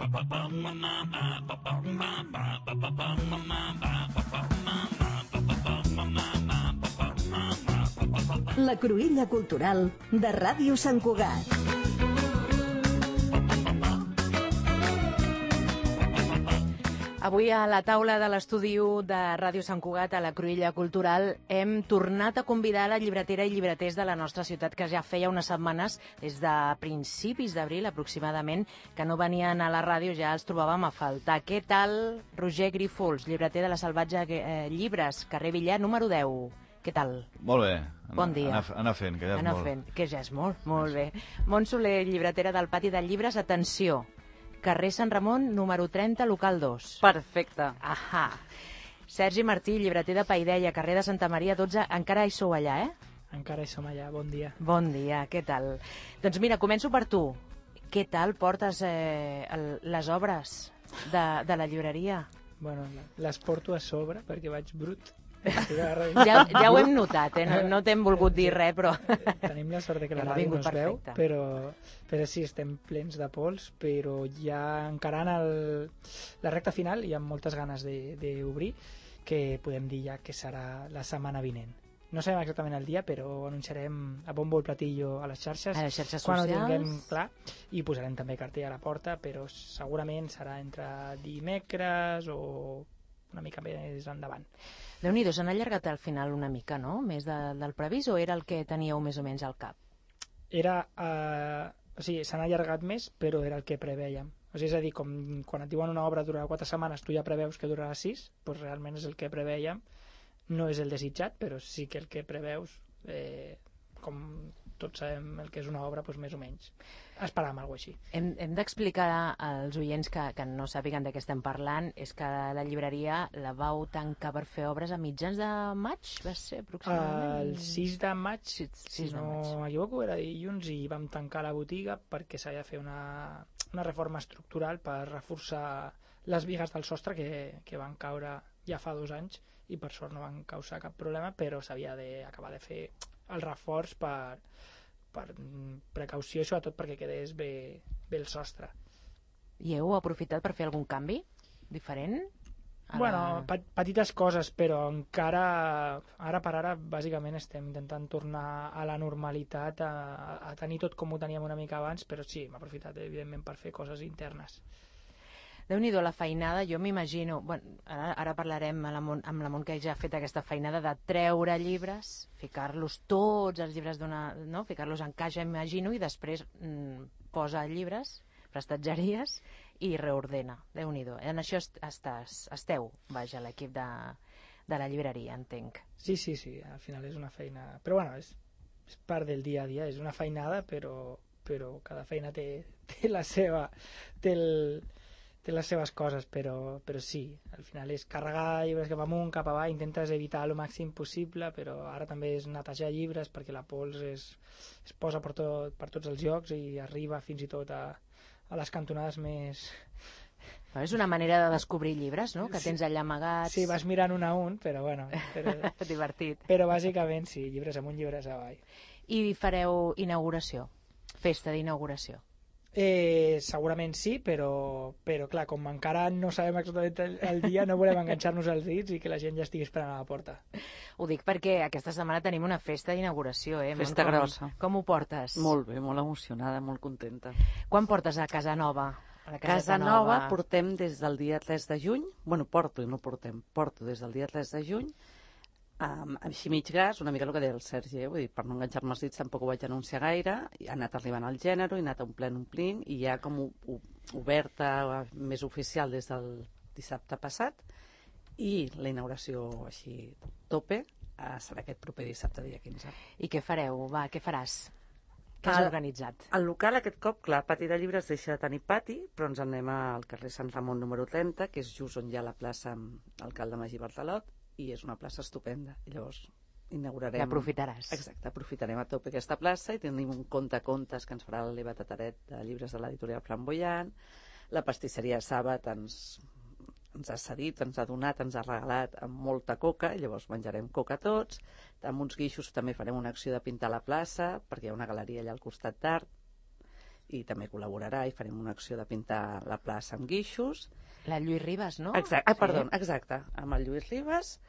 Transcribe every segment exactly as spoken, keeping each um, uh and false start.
La Cruïlla Cultural de Ràdio Sant Cugat. Avui a la taula de l'estudi u de Ràdio Sant Cugat, a la Cruïlla Cultural, hem tornat a convidar la llibretera i llibreters de la nostra ciutat, que ja feia unes setmanes, des de principis d'abril aproximadament, que no venien a la ràdio, ja els trobàvem a faltar. Què tal, Roger Grífols, llibreter de la Salvatge eh, Llibres, carrer Villar, número deu? Què tal? Molt bé. Bon dia. Anar, anar fent, que ja és anar molt. Fent, que ja és molt, molt bé. Mont Soler, llibretera del Pati de Llibres, atenció, carrer Sant Ramon, número trenta, local dos. Perfecte. Ahà. Sergi Martí, llibreter de Paideia, carrer de Santa Maria dotze, encara hi sou allà, eh? Encara hi som allà, bon dia. Bon dia, què tal? Doncs mira, començo per tu. Què tal portes eh, el, les obres de, de la llibreria? Bueno, les porto a sobre perquè vaig brut. Ja, ja ho hem notat, eh? no, no t'hem volgut dir res, però... Tenim la sort que la ràdio no es veu, però, però sí, estem plens de pols, però ja encarant el, la recta final hi ha moltes ganes d'obrir, que podem dir ja que serà la setmana vinent. No sabem exactament el dia, però anunciarem a bombo el platillo a les xarxes, a les xarxes quan socials. ho tinguem clar, i posarem també cartell a la porta, però segurament serà entre dimecres o una mica més endavant. Déu-n'hi-do, s'han allargat al final una mica, no? Més de, del previst, o era el que teníeu més o menys al cap? Era, eh, o sigui, s'han allargat més, però era el que prevèiem. O sigui, és a dir, com quan et diuen una obra durarà quatre setmanes, tu ja preveus que durarà sis, doncs realment és el que prevèiem. No és el desitjat, però sí que el que preveus, eh, com tots sabem el que és una obra, doncs més o menys. Esperàvem alguna cosa així. Hem, hem d'explicar als oients que, que no sàpiguen de què estem parlant, és que la llibreria la vau tancar per fer obres a mitjans de maig, va ser aproximadament? El sis de maig, sí, si no m'equivoco, era dilluns, i vam tancar la botiga perquè s'havia de fer una, una reforma estructural per reforçar les bigues del sostre que, que van caure ja fa dos anys i per sort no van causar cap problema, però s'havia d'acabar de fer el reforç per, per precaució i sobretot perquè quedés bé, bé el sostre. I heu aprofitat per fer algun canvi diferent? Bueno, la... petites coses, però encara ara per ara bàsicament estem intentant tornar a la normalitat, a, a tenir tot com ho teníem una mica abans, però sí, hem aprofitat evidentment per fer coses internes. Déu-n'hi-do, la feinada, jo m'imagino, bueno, ara, ara parlarem amb la, Mont, amb la Mont, que ja ha fet aquesta feinada de treure llibres, ficar-los tots els llibres d'una, no? Ficar-los en caixa, imagino, i després mm, posa llibres, prestatgeries, i reordena. Déu-n'hi-do. En això estàs, esteu, vaja, l'equip de, de la llibreria, entenc. Sí, sí, sí, al final és una feina... Però bueno, és, és part del dia a dia, és una feinada, però, però cada feina té, té la seva... Té el... té les seves coses, però, però sí, al final és carregar llibres cap amunt, cap avall, intentes evitar el màxim possible, però ara també és netejar llibres perquè la pols es, es posa per, tot, per tots els llocs i arriba fins i tot a, a les cantonades més... Però és una manera de descobrir llibres, no?, que tens allà amagats. Sí, vas mirant un a un, però bueno... Però... Divertit. Però bàsicament sí, llibres amunt, llibres avall. I fareu inauguració, festa d'inauguració? Eh, segurament sí, però, però clar, com encara no sabem exactament el, el dia, no volem enganxar-nos els dits i que la gent ja estigui esperant a la porta. Ho dic perquè aquesta setmana tenim una festa d'inauguració, eh? Festa com, grossa. Com ho portes? Molt bé, molt emocionada, molt contenta. Quan portes a Casa Nova? A Casa, Casa Nova, Nova portem des del dia tres de juny, bueno, porto i no portem, porto des del dia tres de juny, Um, així mig gas, una mica el que deia el Sergi, eh? Vull dir, per no enganxar-me els dits tampoc ho vaig anunciar gaire, ha anat arribant al gènere, ha anat omplint, omplint, i ja com u, u, oberta, més oficial des del dissabte passat, i la inauguració així tope uh, serà aquest proper dissabte, dia quinze. I què fareu? Va, què faràs? Què has el, organitzat? El local aquest cop, clar, Pati de Llibres deixa de tenir pati, però ens anem al carrer Sant Ramon número trenta, que és just on hi ha la plaça Alcalde Magí Bartalot, i és una plaça estupenda. I llavors inaugurarem... L'aprofitaràs. Exacte, aprofitarem a tope aquesta plaça i tenim un conte-contes que ens farà l'Eva Tataret de llibres de l'editorial Flamboyant. La pastisseria Sàbat ens, ens ha cedit, ens ha donat, ens ha regalat amb molta coca, i llavors menjarem coca tots. Amb uns guixos també farem una acció de pintar la plaça, perquè hi ha una galeria allà al costat d'art. i també col·laborarà i farem una acció de pintar la plaça amb guixos. La Lluís Ribas, no? Exacte, ah, perdó, exacte, amb el Lluís Ribas,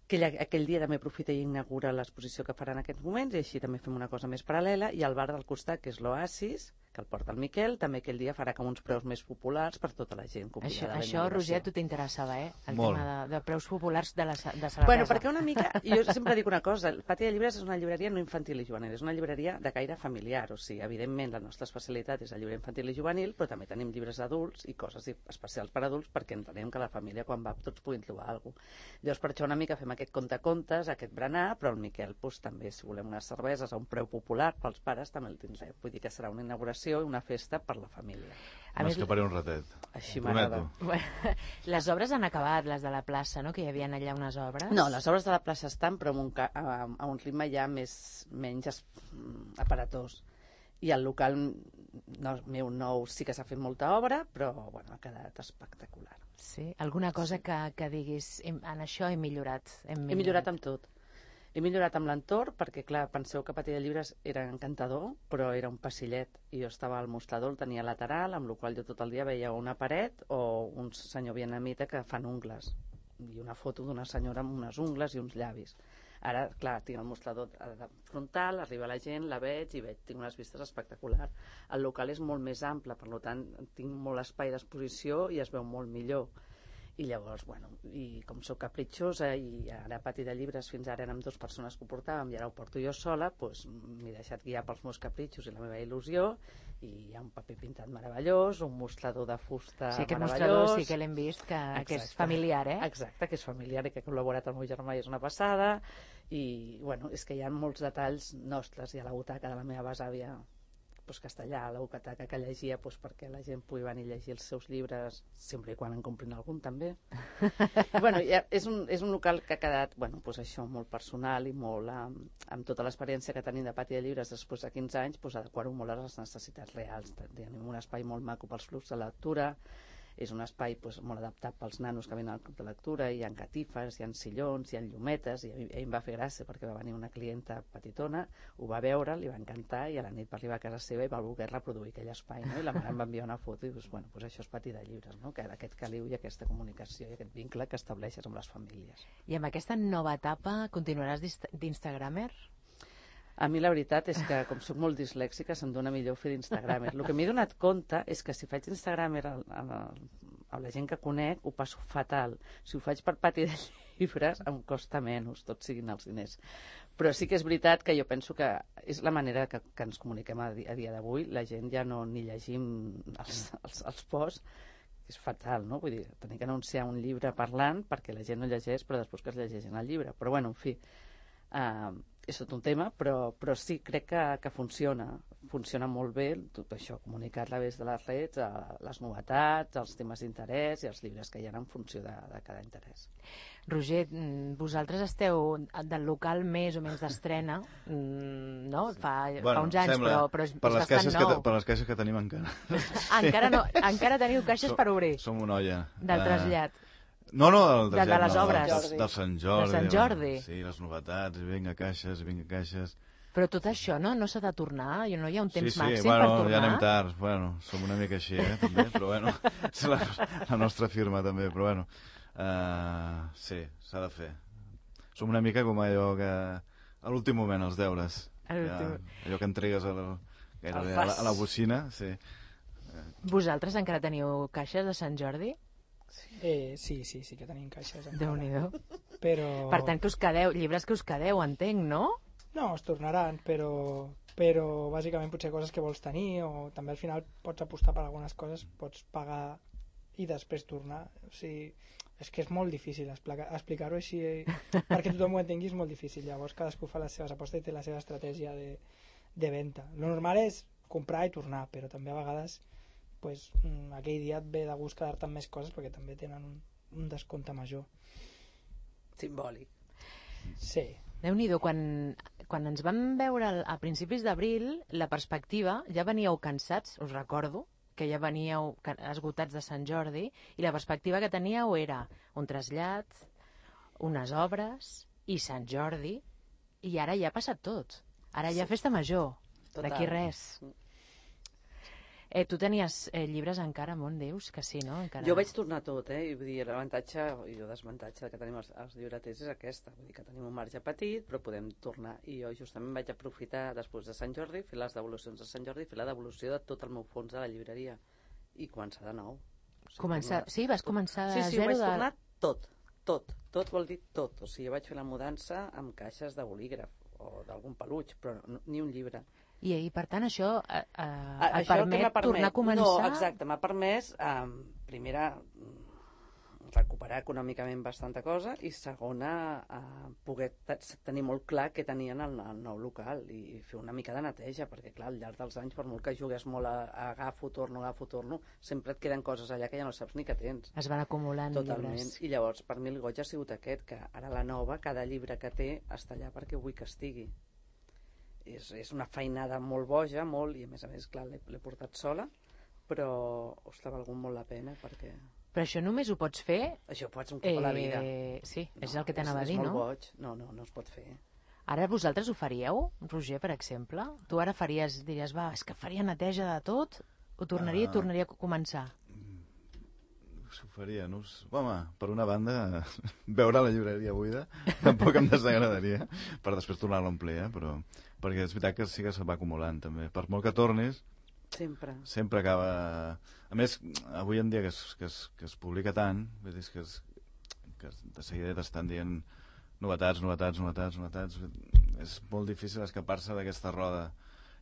que ell, aquell dia també aprofita i inaugura l'exposició que farà en aquests moments, i així també fem una cosa més paral·lela, i al bar del costat, que és l'Oasis, que el porta el Miquel, també aquell dia farà com uns preus més populars per tota la gent Això, convidada a la això inauguració. Roger, tu t'interessava, eh? El Molt. tema de, de preus populars de, la, de Salamesa. Bueno, perquè una mica, jo sempre dic una cosa, el Pati de Llibres és una llibreria no infantil i juvenil, és una llibreria de caire familiar, o sigui, evidentment la nostra especialitat és el llibre infantil i juvenil, però també tenim llibres adults i coses especials per adults perquè entenem que la família quan va tots puguin trobar alguna cosa. Llavors per això una mica fem aquest conte-contes, aquest berenar, però el Miquel doncs, també si volem unes cerveses a un preu popular pels pares també el tindrem, vull dir que serà una inauguració i una festa per la família. M'escaparé un ratet. Així Prometo. m'agrada. Les obres han acabat, les de la plaça, no? Que hi havia allà unes obres. No, les obres de la plaça estan, però amb un, ca- a, a un ritme ja més, menys es, aparatós. I el local no, meu nou sí que s'ha fet molta obra, però bueno, ha quedat espectacular. Sí? Alguna cosa que, que diguis, en això he millorat. Hem millorat, He millorat amb tot. He millorat amb l'entorn, perquè, clar, penseu que Pati de Llibres era encantador, però era un passillet, i jo estava al mostrador, el tenia lateral, amb la qual jo tot el dia veia una paret o un senyor vietnamita que fan ungles, i una foto d'una senyora amb unes ungles i uns llavis. Ara, clar, tinc el mostrador frontal, arriba la gent, la veig i veig, tinc unes vistes espectaculars. El local és molt més ample, per tant, tinc molt espai d'exposició i es veu molt millor. I llavors, bueno, i com sóc capritxosa i ara a Pati de Llibres fins ara érem dues persones que ho portàvem i ara ho porto jo sola, doncs m'he deixat guiar pels meus capritxos i la meva il·lusió, i hi ha un paper pintat meravellós, un mostrador de fusta sí, aquest meravellós. mostrador sí que l'hem vist, que, que és familiar, eh? Exacte, que és familiar i que ha col·laborat el meu germà i és una passada, i bueno, és que hi ha molts detalls nostres, i a la butaca de la meva besàvia pues, castellà, a la butaca que llegia pues, perquè la gent pugui venir a llegir els seus llibres, sempre i quan en comprin algun també. I, bueno, ja, és, un, és un local que ha quedat bueno, pues, això, molt personal i molt amb, amb tota l'experiència que tenim de Pati de Llibres després de quinze anys, pues, adequar-ho molt a les necessitats reals. Tenim un espai molt maco pels clubs de lectura, és un espai pues, molt adaptat pels nanos que venen al club de lectura, hi ha catifes, hi ha sillons, hi ha llumetes, i a mi, a mi em va fer gràcia perquè va venir una clienta petitona, ho va veure, li va encantar, i a la nit va arribar a casa seva i va voler reproduir aquell espai, no? I la mare em va enviar una foto i dius, bueno, pues això és Pati de Llibres, no? Que aquest caliu i aquesta comunicació i aquest vincle que estableixes amb les famílies. I amb aquesta nova etapa continuaràs d'instagramer? A mi la veritat és que, com soc molt dislèxica, se'm dona millor fer d'Instagramer. El que m'he donat compte és que si faig d'Instagramer a, a, a la gent que conec, ho passo fatal. Si ho faig per Pati de Llibres, em costa menys, tot siguin els diners. Però sí que és veritat que jo penso que és la manera que, que ens comuniquem a, a dia d'avui. La gent ja no ni llegim els, els, els posts, és fatal, no? Vull dir, tenir que anunciar un llibre parlant perquè la gent no llegeix, però després que es llegeixin el llibre. Però bueno, en fi... Uh, és tot un tema, però, però sí, crec que, que funciona. Funciona molt bé tot això, comunicar a través de les redes, les novetats, els temes d'interès i els llibres que hi ha en funció de, de cada interès. Roger, vosaltres esteu del local més o menys d'estrena, no? Fa, bueno, fa uns anys, sembla, però, però és, per és les bastant nou. Que, per les caixes que tenim encara. Ah, encara, no, encara teniu caixes som, per obrir? Som una olla. Del trasllat. Uh, No, no, del de, de les no, obres. Del, del Sant Jordi. De Sant Jordi. Sí, les novetats, vinga caixes, vinga caixes... Però tot això no, no s'ha de tornar? No hi ha un temps sí, sí, màxim bueno, per tornar? Ja anem tard, bueno, som una mica així, eh, també, però bueno, és la, la nostra firma també, però bueno, uh, sí, s'ha de fer. Som una mica com allò que, a l'últim moment, els deures, ja, allò que entregues a la, gairebé, a, la, a la bocina, sí. Vosaltres encara teniu caixes de Sant Jordi? Eh, sí, sí, sí que tenim caixes. Déu-n'hi-do. Però... Per tant, que us quedeu, llibres que us quedeu, entenc, no? No, es tornaran, però, però bàsicament potser coses que vols tenir, o també al final pots apostar per algunes coses, pots pagar i després tornar. O sigui, és que és molt difícil explicar-ho així, perquè tothom ho entengui, és molt difícil. Llavors cadascú fa les seves apostes i té la seva estratègia de, de venda. Lo normal és comprar i tornar, però també a vegades pues, aquell dia et ve de gust quedar-te amb més coses perquè també tenen un, un descompte major. Simbòlic. Sí. Déu-n'hi-do, quan, quan ens vam veure a principis d'abril, la perspectiva, ja veníeu cansats, us recordo, que ja veníeu esgotats de Sant Jordi, i la perspectiva que teníeu era un trasllat, unes obres i Sant Jordi, i ara ja ha passat tot. Ara ja festa major, d'aquí res. Eh, tu tenies eh, llibres encara, Mont, dius? Que sí, no? Encara... Jo vaig tornar tot, eh? I vull dir, l'avantatge i el desmuntatge que tenim els, els llibreters és aquesta. Vull dir que tenim un marge petit, però podem tornar. I jo justament vaig aprofitar, després de Sant Jordi, fer les devolucions de Sant Jordi, fer la devolució de tot el meu fons de la llibreria. I començar de nou. O sigui, començar... tornar... Sí, vas començar de sí, sí, zero? Sí, sí, vaig de... tornar tot, tot. Tot vol dir tot. O sigui, jo vaig fer la mudança amb caixes de bolígraf o d'algun peluig, però no, ni un llibre. I, I, per tant, això eh, eh, et això permet, permet tornar a començar... No, exacte, m'ha permès, eh, primera, recuperar econòmicament bastanta cosa i segona, eh, poder tenir molt clar què tenien al, al nou local i fer una mica de neteja, perquè clar, al llarg dels anys, per molt que jugues molt a, a agafo, torno, agafo, torno, sempre et queden coses allà que ja no saps ni que tens. Es van acumulant Totalment. llibres. I llavors, per mi el goig ha sigut aquest, que ara la nova, cada llibre que té, està allà perquè vull que estigui. És, és una feinada molt boja, molt, i a més a més, clar, l'he portat sola, però, ostres, ha valgut molt la pena, perquè... Però això només ho pots fer... Això ho pots un cop eh, a la vida. Sí, no, és el que és, t'anava a dir, no? no? És molt boig. No, no, no es pot fer. Ara vosaltres ho faríeu, Roger, per exemple? Tu ara faries, diries, va, és que faria neteja de tot? Ho tornaria i uh... tornaria a començar? Ho faria, no? Home, per una banda, veure la llibreria buida tampoc em desagradaria, per després tornar-la a omplir, eh? Però, perquè és veritat que sí que se va acumulant, també. Per molt que tornis, sempre sempre acaba... A més, avui en dia que es, que es, que es publica tant, vull dir, que, es, que de seguida t'estan dient novetats, novetats, novetats, novetats... És molt difícil escapar-se d'aquesta roda.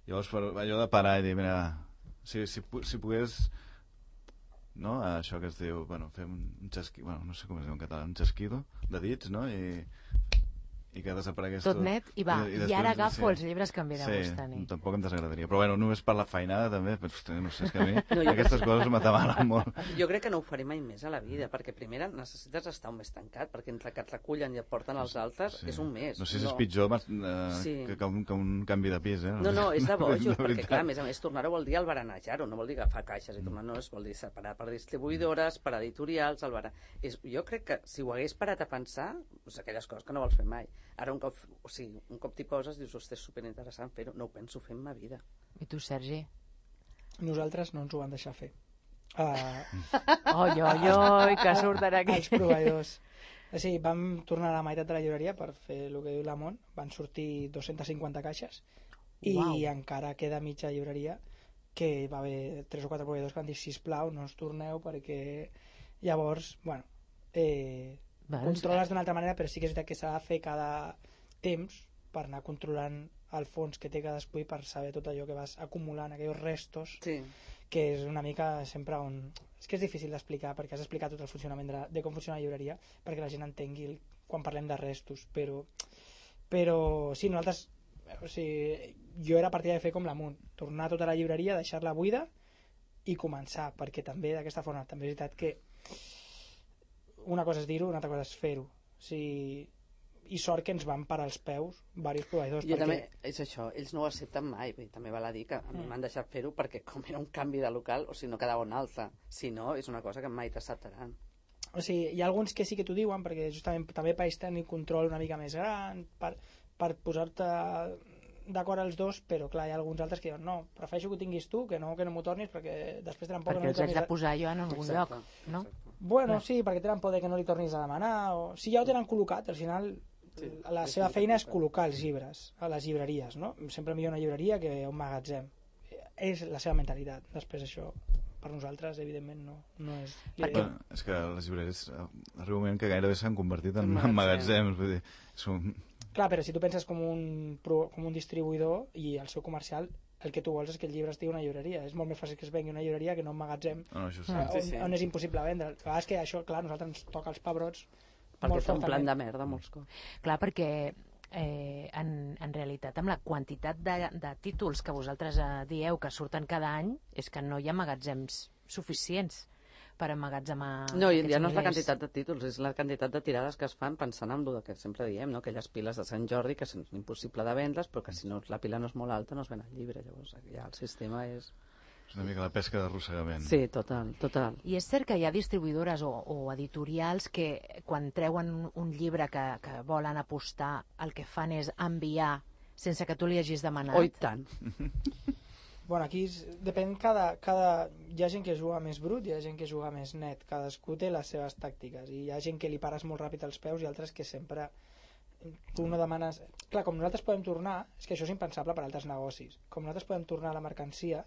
Llavors, per allò de parar i dir, mira, si, si, si pogués... no? Això que es diu, bueno, fer un, un xesquido, bueno, no sé com es diu en català, un xesquido de dits, no? I, i que desaparegués tot. Tot net, i va, i, i, després, i ara agafo sí, els llibres que em ve de sí, gust tenir. Tampoc em desagradaria, però bueno, només per la feinada també, però, no sé, és que a mi no, aquestes crec... coses m'atabalen molt. Jo crec que no ho faré mai més a la vida, perquè primera necessites estar un mes tancat, perquè entre que et recullen i et porten als altres sí. és un mes. No sé si és no. pitjor eh, sí. que, que, un, que un canvi de pis, eh? No, no, és de bojos, perquè clar, a més a més tornar-ho vol dir albaranejar-ho, no vol dir agafar caixes i tornar, no, es vol dir separar per distribuïdores, per editorials, albara... és, jo crec que si ho hagués parat a pensar, doncs aquelles coses que no vols fer mai. Ara un cop, o sigui, un cop t'hi poses dius, ostres, és superinteressant fer-ho, no ho penso fer en ma vida. I tu, Sergi? Nosaltres no ens ho van deixar fer. Uh, oi, oi, oi, que surten aquí. Els proveïdors. O sigui, vam tornar a la meitat de la llibreria per fer el que diu la Mont, van sortir dos-centes cinquanta caixes i wow. encara queda mitja llibreria que va haver tres o quatre proveïdors que van dir sisplau, no us torneu perquè llavors, bueno, eh, bueno, controles d'una altra manera, però sí que és veritat que s'ha de fer cada temps per anar controlant el fons que té cadascú i per saber tot allò que vas acumulant, aquells restos, sí. que és una mica sempre on... És que és difícil d'explicar, perquè has d'explicar tot el funcionament de, la, de com funciona la llibreria, perquè la gent entengui el, quan parlem de restos, però, però sí, nosaltres... O sigui, jo era partida de fer com l'Amunt, tornar tota la llibreria, deixar-la buida i començar, perquè també d'aquesta forma també és veritat que una cosa és dir-ho, una altra cosa és fer-ho. O sigui, i sort que ens van parar els peus diversos proveïdors. Jo perquè... també, és això, ells no ho accepten mai, bé, també val a dir que a mi mm. m'han deixat fer-ho perquè com era un canvi de local, o sigui, no quedava un altre, si no, és una cosa que mai t'acceptaran. O sigui, hi ha alguns que sí que t'ho diuen, perquè justament també per tenir control una mica més gran, per, per posar-te d'acord els dos, però clar, hi ha alguns altres que diuen no, prefereixo que ho tinguis tu, que no que no m'ho tornis, perquè després tenen por perquè que no els haig de posar jo en algun exacte, lloc, no? Exacte. Bueno, sí, perquè tenen por de que no li tornis a demanar, o... si ja ho tenen col·locat, al final sí, la seva feina és col·locar els llibres a les llibreries, no? Sempre millor una llibreria que un magatzem. És la seva mentalitat. Després això, per nosaltres, evidentment, no, no és... Perquè... Bueno, és que les llibreries arriba un moment que gairebé s'han convertit en, en magatzems, vull dir, són... Clar, però si tu penses com un, com un distribuïdor i el seu comercial, el que tu vols és que el llibre estigui a una llibreria. És molt més fàcil que es vengui una llibreria que no un magatzem, no, això sí. on, sí, sí. on és impossible vendre. A vegades que això, clar, a nosaltres ens toca els pebrots perquè molt fa un plan fortament. de merda molts cops. Clar, perquè eh, en, en realitat amb la quantitat de, de títols que vosaltres eh, dieu que surten cada any és que no hi ha magatzems suficients per emmagatzemar no, i ja no és la milers. quantitat de títols, és la quantitat de tirades que es fan pensant en el que sempre diem, no? Aquelles piles de Sant Jordi que és impossible de vendre's, però que si no la pila no és molt alta no es ven el llibre, llavors ja el sistema és... És una mica la pesca d'arrossegament. Sí, total, total. I és cert que hi ha distribuïdores o, o editorials que quan treuen un, un llibre que, que volen apostar, el que fan és enviar sense que tu li hagis demanat. Oh, i tant. Bueno, aquí és, depèn cada, cada... Hi ha gent que juga més brut, hi ha gent que juga més net. Cadascú té les seves tàctiques. I hi ha gent que li pares molt ràpid els peus i altres que sempre... Tu no demanes... Clar, com nosaltres podem tornar... És que això és impensable per a altres negocis. Com nosaltres podem tornar la mercancia,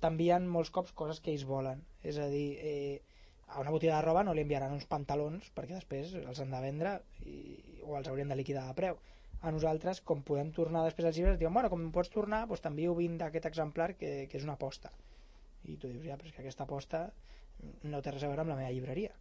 t'envien molts cops coses que ells volen. És a dir, eh, a una botiga de roba no li enviaran uns pantalons perquè després els han de vendre i, o els haurien de liquidar a preu. A nosaltres, com podem tornar després als llibres, diuen, bueno, com pots tornar, doncs t'envio vint d'aquest exemplar que, que és una aposta. I tu dius, ja, però és que aquesta aposta no té res a veure amb la meva llibreria.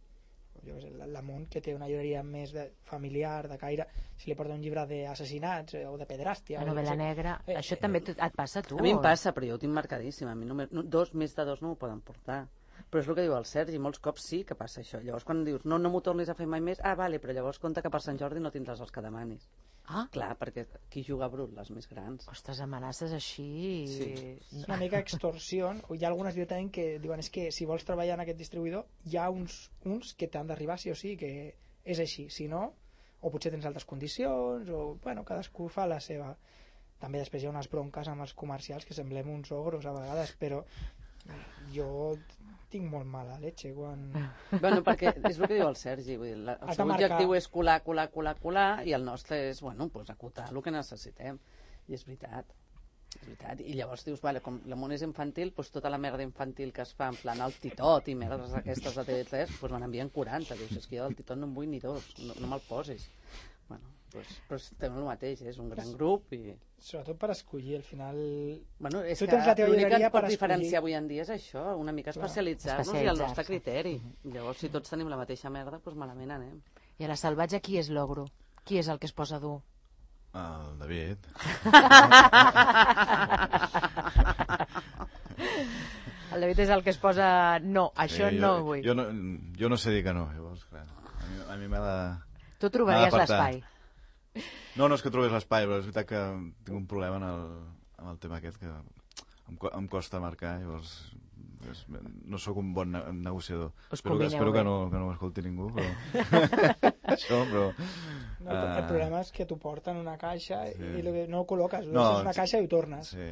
Jo què sé, la Mont, que té una llibreria més de, familiar, de caire, si li porta un llibre d'assassinats eh, o de pedràstia... La novel·la negra, eh, això eh, també et passa a tu? A mi em passa, però jo ho tinc marcadíssim. A mi només, no, dos, més de dos no ho poden portar. Però és el que diu el Sergi, molts cops sí que passa això. Llavors quan dius, no, no m'ho tornis a fer mai més, ah, vale, però llavors compte que per Sant Jordi no tindràs els que demanis. Ah. Clar, perquè qui juga a brut, les més grans. Ostres, amenaces així... Sí. És una mica extorsió. Hi ha algunes directament que diuen és que si vols treballar en aquest distribuïdor hi ha uns, uns que t'han d'arribar sí o sí, que és així. Si no, o potser tens altres condicions, o, bueno, cadascú fa la seva. També després hi ha unes bronques amb els comercials que semblem uns ogros a vegades, però jo tinc molt mala leche quan... Bueno, perquè és el que diu el Sergi, vull dir, la, el seu objectiu és colar, colar, colar, colar, i el nostre és, bueno, pues, acotar el que necessitem. I és veritat, és veritat. I llavors dius, vale, com la món és infantil, pues, tota la merda infantil que es fa, en plan el titot i merdes aquestes de T V tres, pues, me n'envien quaranta. Dius, és que jo del titot no en vull ni dos, no, no me'l posis. Bueno, pues, però estem el mateix, és un gran grup i... Sobretot per escollir, al final... Bueno, és tu que l'únic que ens pot escollir... diferenciar avui en dia és això, una mica especialitzar-nos i el nostre criteri. Llavors, si tots tenim la mateixa merda, doncs malament anem. I a la salvatge qui és l'ogro? Qui és el que es posa dur? El David. El David és el que es posa... No, això sí, jo, no ho vull. Jo no, jo no sé dir que no, llavors, clar. A mi, a mi m'ha de... Tu trobaries l'espai. No, no és que trobés l'espai, però és veritat que tinc un problema en el, en el tema aquest que em, em costa marcar, llavors és, no sóc un bon ne negociador. Us espero que, espero que no, que no m'escolti ningú, però... Això, però... No, uh... el problema és que t'ho porten una caixa sí. i que no ho col·loques, ho no, deixes una caixa i ho tornes. Sí.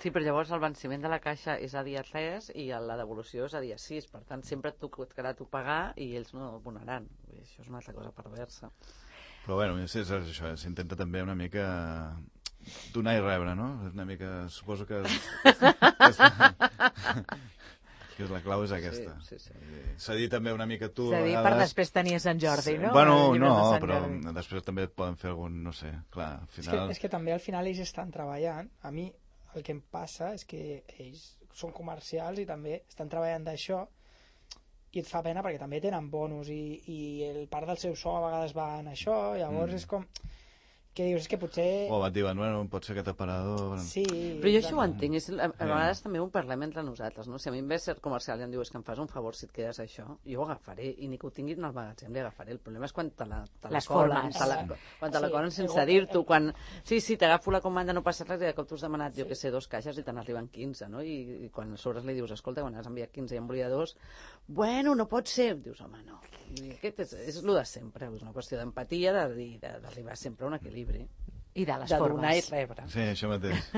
Sí, però llavors el venciment de la caixa és a dia tres i la devolució és a dia sis, per tant sempre et tocarà tu pagar i ells no abonaran. Això és una altra cosa perversa. Però bueno, és, és això, s'intenta també una mica donar i rebre, no? Una mica, suposo que... que la clau és aquesta. Sí, sí, sí. Cedir també una mica tu... Cedir per després tenir Sant Jordi, no? Bueno, no, però després també et poden fer algun, no sé, clar, al final... És que, és que també al final ells estan treballant. A mi el que em passa és que ells són comercials i també estan treballant d'això i et fa pena perquè també tenen bonus i, i el part del seu sou a vegades va en això, llavors mm. és com que dius, és que potser... O et diuen, bueno, pot ser aquest aparador... Sí, però jo això ho entenc, és, a, a vegades sí. també ho parlem entre nosaltres, no? Si a mi em ve ser comercial i em diu, és que em fas un favor si et quedes això, jo ho agafaré, i ni que ho tinguin al magatzem li agafaré. El problema és quan te la, te la colen, te la, quan te la colen sense sí, dir-t'ho, quan... Sí, sí, t'agafo la comanda, no passa res, i de cop t'has demanat, jo que sé, dos caixes i te n'arriben quinze, no? I, i quan a sobre li dius, escolta, quan has enviat quinze i em volia dos, bueno, no pot ser. Dius, home, no. I aquest és, és el de sempre, és una qüestió d'empatia, d'arribar sempre a un equilibri. I de les de formes. donar i rebre. Sí, això mateix.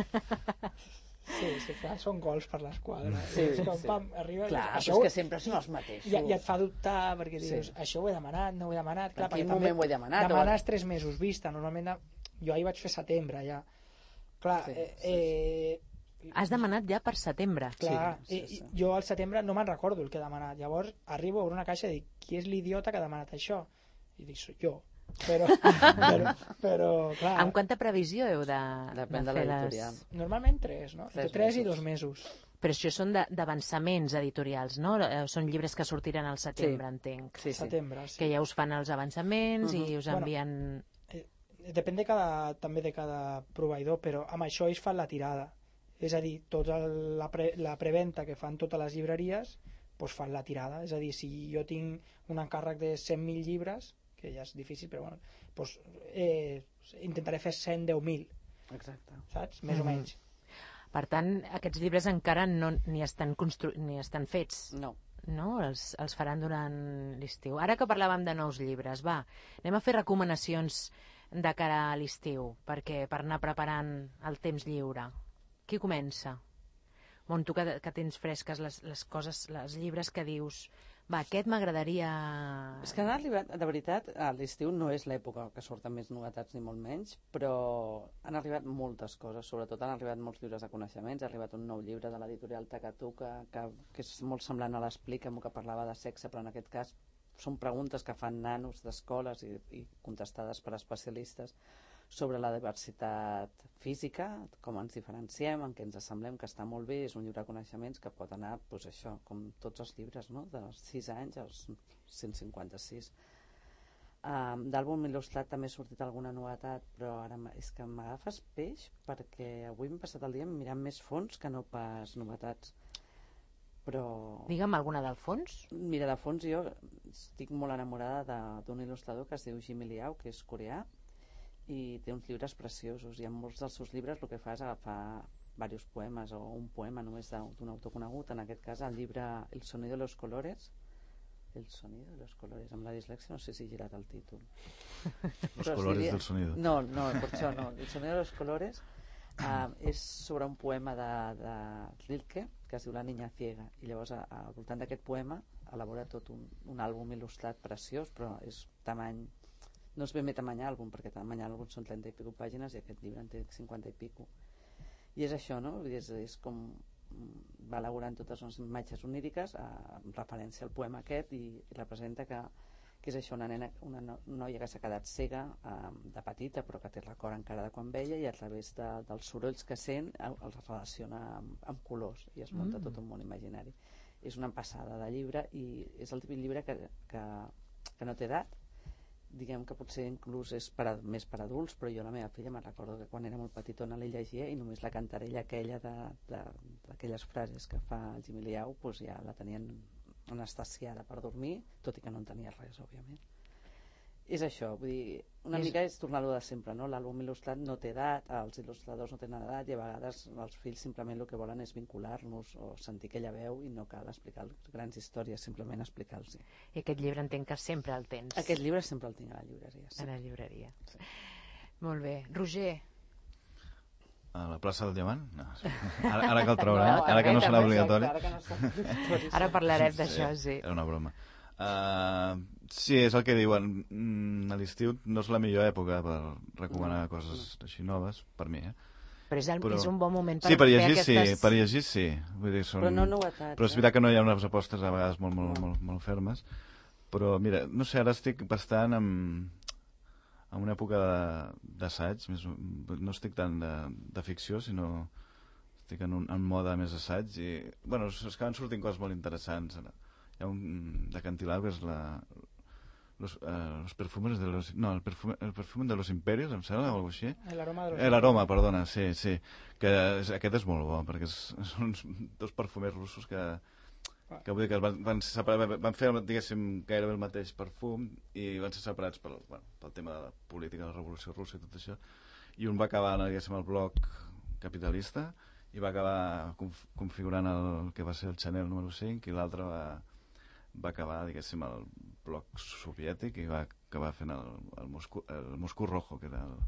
Sí, sí, clar, són gols per l'esquadra. Sí, és com, sí. pam, arriba... Clar, això és que sempre són els mateixos. I, i et fa dubtar, perquè dius, sí. això ho he demanat, no ho he demanat... Clar, en quin moment ho he demanat? Demanes o... tres mesos vista, normalment de... jo ahir vaig fer setembre, ja. Clar, sí, sí, sí. eh... Has demanat ja per setembre. Clar, sí, sí, sí. I, jo al setembre no me'n recordo el que he demanat. Llavors arribo a obrir una caixa i dic, qui és l'idiota que ha demanat això? I dic, soc jo. Però, però, però, clar... Amb quanta previsió heu de, Depèn de de fer l'editorial. les... Normalment tres, no? Tres, tres i dos mesos. Però això són d'avançaments editorials, no? Són llibres que sortiran al setembre, sí. entenc. Sí, sí. Setembre, sí. Que ja us fan els avançaments uh -huh. i us envien... Bueno, eh, depèn de cada, també de cada proveïdor, però amb això ells fan la tirada. És a dir, tota la, pre, la preventa que fan totes les llibreries, doncs fan la tirada. És a dir, si jo tinc un encàrrec de cent mil llibres, que ja és difícil, però bueno, doncs, eh, intentaré fer cent deu mil. Exacte. Saps? Més mm-hmm. o menys. Per tant, aquests llibres encara no, ni, estan constru... ni estan fets. No. No? Els, els faran durant l'estiu. Ara que parlàvem de nous llibres, va, anem a fer recomanacions de cara a l'estiu, perquè per anar preparant el temps lliure. Qui comença? Mont, tu que, que tens fresques les, les coses, els llibres que dius... Va, aquest m'agradaria... És que han arribat, de veritat, a l'estiu no és l'època que surten més novetats ni molt menys, però han arribat moltes coses, sobretot han arribat molts llibres de coneixements, ha arribat un nou llibre de l'editorial Takatuka, que, que és molt semblant a l'Explica'm, que parlava de sexe, però en aquest cas són preguntes que fan nanos d'escoles i, i contestades per especialistes sobre la diversitat física, com ens diferenciem, en què ens assemblem, que està molt bé, és un llibre de coneixements que pot anar, doncs això, com tots els llibres, no?, dels sis anys als cent cinquanta-sis. Um, d'àlbum il·lustrat també ha sortit alguna novetat, però ara és que m'agafes peix perquè avui m'he passat el dia mirant més fons que no pas novetats. Però... Digue'm alguna del fons. Mira, de fons jo estic molt enamorada d'un il·lustrador que es diu Jimmy Liao, que és coreà, i té uns llibres preciosos, i en molts dels seus llibres el que fa és agafar diversos poemes o un poema només d'un autor conegut, en aquest cas el llibre El sonido de los colores, El sonido de los colores, amb la dislexia no sé si he girat el títol. Los colores diria... del sonido. No, no, per això no. El sonido de los colores uh, és sobre un poema de, de Rilke que es diu La niña ciega, i llavors a, a, al voltant d'aquest poema elabora tot un, un àlbum il·lustrat preciós, però és tamany... No és ben bé tamany àlbum, perquè tamany àlbum són trenta i pico pàgines i aquest llibre en té cinquanta i pico. I és això, no? És, és com va elaborant totes les imatges oníriques en referència al poema aquest, i, i representa que, que és això, una, nena, una noia que s'ha quedat cega eh, de petita, però que té record encara de quan veia, i a través de, dels sorolls que sent els relaciona amb, amb colors i es munta mm. tot un món imaginari. És una passada de llebre i és el típic llibre que, que, que no té edat, diguem que potser inclús és per a, més per adults, però jo la meva filla me'n recordo que quan era molt petitona la llegia i només la cantarella aquella d'aquelles frases que fa el Jimmy Liao, doncs ja la tenien anestesiada per dormir, tot i que no en tenia res, òbviament. És això, vull dir, una és... mica és tornar-lo de sempre, no? L'àlbum il·lustrat no té edat, els il·lustradors no tenen edat, i a vegades els fills simplement el que volen és vincular-nos o sentir aquella veu, i no cal explicar grans històries, simplement explicar-los. I aquest llibre entenc que sempre el tens. Aquest llibre sempre el tinc a la llibreria. Sí. A la llibreria. Sí. Molt bé. Roger. A la plaça del Diamant? No. Ara, ara que el trauran, no, ara que no serà obligatori. Ara, que no serà obligatori. Ara parlarem d'això, sí. Era una broma. Uh, sí, és el que diuen, mm, a l'estiu no és la millor època per recomanar no, coses no. així noves, per mi, eh? Però és, el, però... és un bon moment per, sí, per llegir, fer aquestes... sí, per llegir sí, vull dir, són... però no novetats. Però és veritat que no hi ha unes apostes a vegades molt, molt, molt, molt fermes, però mira, no sé, ara estic bastant en, en una època d'assaig, no estic tant de, de ficció, sinó estic en un en mode més assaig, i bueno, es acaben sortint coses molt interessants. Hi ha un de Cantilao que és la los, uh, los perfumes de los no, el perfume, el perfume de los imperios, em sembla, o alguna cosa així. El aroma de los eh, l'aroma, perdona, sí, sí, que és, aquest és molt bo, perquè és, són dos perfumers russos que que vull dir que van, van, separar, van fer, diguéssim, gairebé el mateix perfum i van ser separats pel, bueno, pel tema de la política de la revolució russa i tot això, i un va acabar, diguéssim, el bloc capitalista i va acabar conf configurant el que va ser el Chanel número cinc, i l'altre va va acabar, diguéssim, el bloc soviètic i va acabar fent el, el, Moscú, el Moscú Rojo, que era el...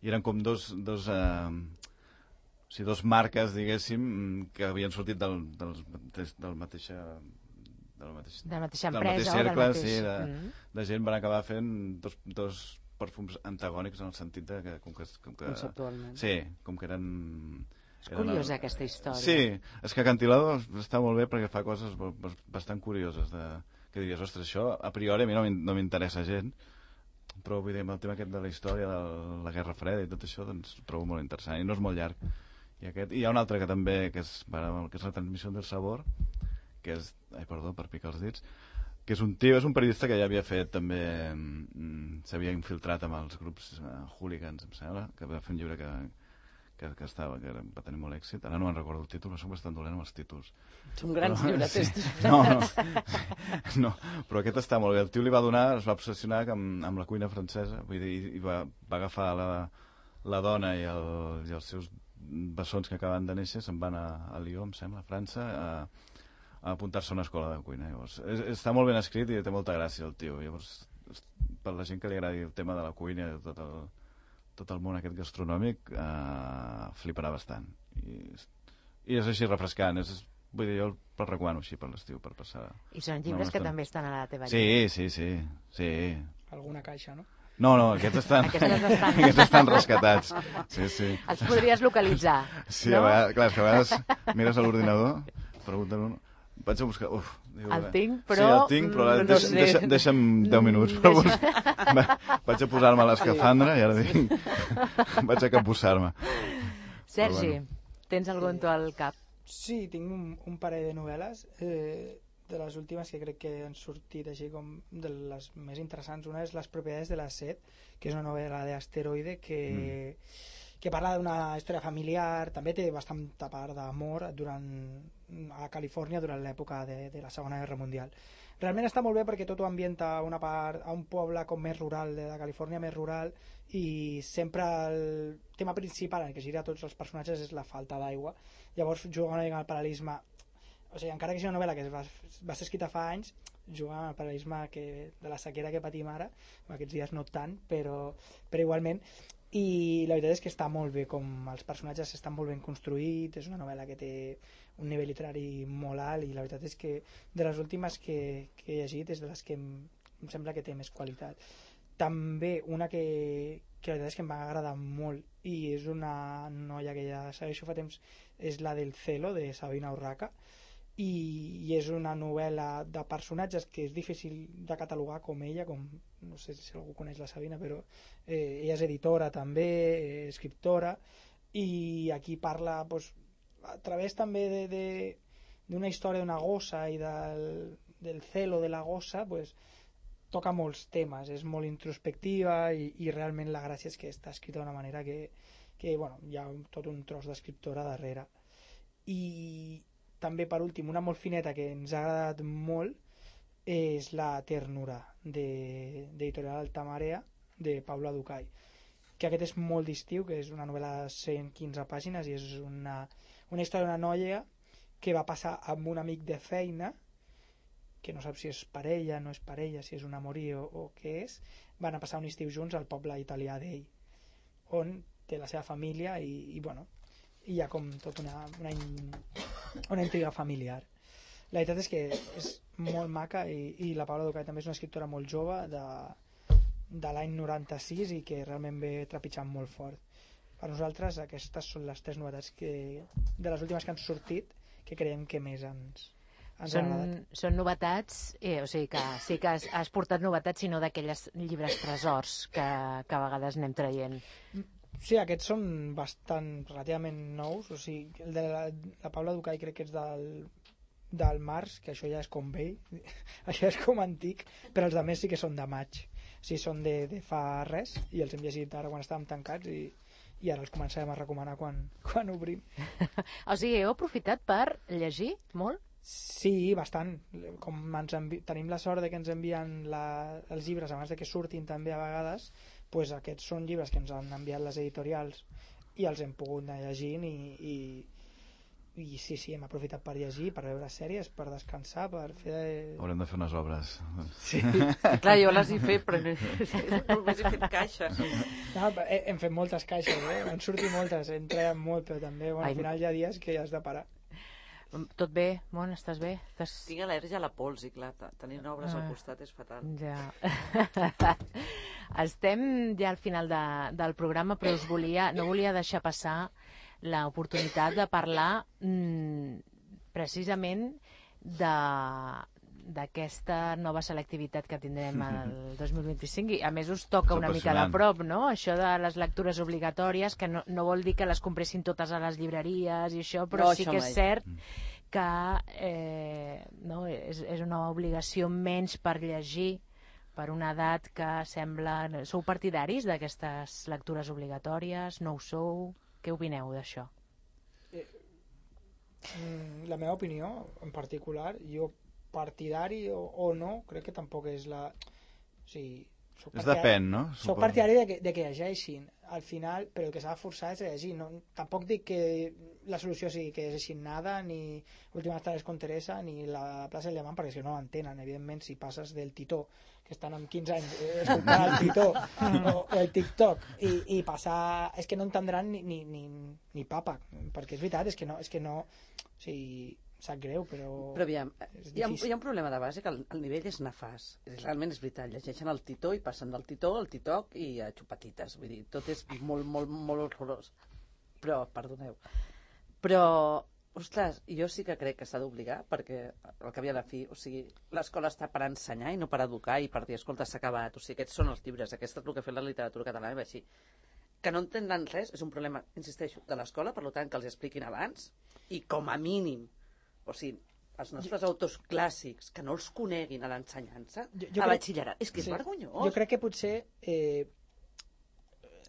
I eren com dos, dos, eh, o sigui, dos marques, diguéssim, que havien sortit del, del, del mateixa... De la mateixa, de la mateixa del empresa, mateix cercle, del mateix... sí, de, mm. de gent van acabar fent dos, dos perfums antagònics en el sentit de que... Com que, com que conceptualment. Sí, com que eren... És curiosa el... aquesta història. Sí, és que Cantilao està molt bé perquè fa coses bastant curioses, de... que diries, ostres, això a priori a mi no m'interessa gent, però vull dir, el tema aquest de la història de la Guerra Freda i tot això, doncs ho trobo molt interessant, i no és molt llarg. I, aquest... I hi ha un altre que també, que és, que és la transmissió del sabor, que és, ai, perdó, per picar els dits, que és un tio, és un periodista que ja havia fet també, s'havia infiltrat amb els grups uh, hooligans, em sembla, que va fer un llibre que Que, que, estava, que va tenir molt èxit. Ara no me'n recordo el títol, però soc bastant dolent amb els títols. Són grans però, llibreters. Sí. No, no, no, però aquest està molt bé. El tio li va donar, es va obsessionar amb, amb la cuina francesa, vull dir, i va, va agafar la, la dona i, el, i els seus bessons que acaben de néixer, se'n van a, a Lyon, em sembla, a França, a, a apuntar-se a una escola de cuina. Llavors, és, està molt ben escrit i té molta gràcia el tio. Llavors, per la gent que li agradi el tema de la cuina i tot el tot el món aquest gastronòmic, eh, fliparà bastant. I i és així refrescant. És, vull dir, jo el recomano així per l'estiu, per passar... I són llibres que també estan a la teva sí, llibre. Sí, sí, sí. Alguna caixa, no? No, no, aquests estan, estan... aquests estan rescatats. Sí, sí. Els podries localitzar, sí, no? A vegades, clar, és que a vegades mires a l'ordinador, pregunten un... Vaig a buscar... Uf, diu, el tinc, però... Sí, el tinc, però no deixa, sé. deixa, deixa'm deu minuts. Però Deixa... Vaig a posar-me l'escafandra i ara dic... Vaig a capbussar-me. Sergi, bueno. tens algun tu al cap? Sí, tinc un, un parell de novel·les, eh, de les últimes que crec que han sortit així com de les més interessants. Una és Les propietats de la set, que és una novel·la d'Asteroide que... Mm. que parla d'una història familiar, també té bastanta part d'amor durant a Califòrnia durant l'època de, de la Segona Guerra Mundial. Realment està molt bé perquè tot ho ambienta a una part, a un poble com més rural, de la Califòrnia més rural, i sempre el tema principal en què gira tots els personatges és la falta d'aigua. Llavors juga una mica al paral·lelisme, o sigui, encara que sigui una novel·la que va, va ser escrita fa anys, juga al paral·lelisme que, de la sequera que patim ara, aquests dies no tant, però, però igualment. I la veritat és que està molt bé, com els personatges estan molt ben construïts, és una novel·la que té un nivell literari molt alt i la veritat és que de les últimes que, que he llegit és de les que em, em sembla que té més qualitat. També una que, que la veritat és que em va agradar molt i és una noia que ja segueixo fa temps, és la del Celo, de Sabina Urraca, i, i és una novel·la de personatges que és difícil de catalogar com ella, com no sé si algú coneix la Sabina, però eh, ella és editora també, eh, escriptora, i aquí parla pues, a través també de, de, d'una història d'una gossa i del, del celo de la gossa, pues, toca molts temes, és molt introspectiva i, i realment la gràcia és que està escrita d'una manera que, que bueno, hi ha tot un tros d'escriptora darrere. I també, per últim, una molt fineta que ens ha agradat molt és La ternura, de, d'Editorial Altamarea, de Paula Ducay, que aquest és molt d'estiu, que és una novel·la de cent quinze pàgines i és una, una història d'una noia que va passar amb un amic de feina, que no sap si és parella, no és parella, si és un amorí o, o què és, van a passar un estiu junts al poble italià d'ell, on té la seva família i, i bueno, i hi ha com tot una, una, una intriga familiar. La veritat és que és molt maca i, i la Paula Ducay també és una escriptora molt jove de, de l'any noranta-sis i que realment ve trepitjant molt fort. Per nosaltres aquestes són les tres novetats que, de les últimes que han sortit, que creiem que més ens, ens són, ha agradat. Són novetats, eh, o sigui que sí que has, has portat novetats, sinó d'aquelles llibres tresors que, que a vegades anem traient. Sí, aquests són bastant relativament nous, o sigui, el de la, la Paula Ducay crec que és del, del març, que això ja és com vell, això és com antic, però els de més sí que són de maig, o sigui, són de, de fa res, i els hem llegit ara quan estàvem tancats i, i ara els començarem a recomanar quan, quan obrim. O sigui, heu aprofitat per llegir molt? Sí, bastant. Com ens envi... tenim la sort de que ens envien la... els llibres abans de que surtin també a vegades, pues aquests són llibres que ens han enviat les editorials i els hem pogut anar llegint i, i, i sí, sí, hem aprofitat per llegir, per veure sèries, per descansar, per fer... Haurem de fer unes obres. Sí, clar, jo les he fet, però només he fet caixes. No, hem fet moltes caixes, eh? Han sortit moltes, hem treballat molt, però també, bueno, Ai. al final hi ha dies que has de parar. Tot bé? Mon, estàs bé? Estàs... Tinc al·lèrgia a la pols i clar, tenint obres Ah. al costat és fatal. Ja. Estem ja al final de, del programa, però us volia, no volia deixar passar l'oportunitat de parlar mmm, precisament de d'aquesta nova selectivitat que tindrem el dos mil vint-i-cinc i a més us toca És una mica de apassionant. prop, no? Això de les lectures obligatòries, que no, no vol dir que les compressin totes a les llibreries i això, però No, sí això que és mai. cert que eh, no, és, és una obligació menys per llegir per una edat que sembla... Sou partidaris d'aquestes lectures obligatòries? No ho sou? Què opineu d'això? Mm, la meva opinió, en particular, jo partidari o, o no, crec que tampoc és la... O sigui, soc És depèn, no? Soc partidari de que, de que llegeixin al final, però el que s'ha de forçar és llegir. No, tampoc dic que la solució sigui que llegeixin nada, ni Últimas tardes con Teresa, ni la plaça del Diamant, perquè si no entenen, evidentment, si passes del Titó, que estan amb quinze anys eh, escoltant el Titó o, o el TikTok, i, i passar... És que no entendran ni, ni, ni, ni papa, perquè és veritat, és que no... És que no o sigui, sap greu, però... Però aviam, hi ha, hi ha un problema de base que el, el nivell és nefast. Realment és veritat, llegeixen el Titó i passen del Titó al TikTok i a xupatites. Vull dir, tot és molt, molt, molt horrorós. Però, perdoneu. Però, ostres, jo sí que crec que s'ha d'obligar, perquè al cap i a la fi, o sigui, l'escola està per ensenyar i no per educar i per dir, escolta, s'ha acabat. O sigui, aquests són els llibres, aquest és el que ha fet la literatura catalana i així. Que no entenen res és un problema, insisteixo, de l'escola, per tant, que els expliquin abans i com a mínim, o sigui, els nostres autors clàssics, que no els coneguin a l'ensenyança, a batxillerat, és que és sí, vergonyós. Jo crec que potser... Eh,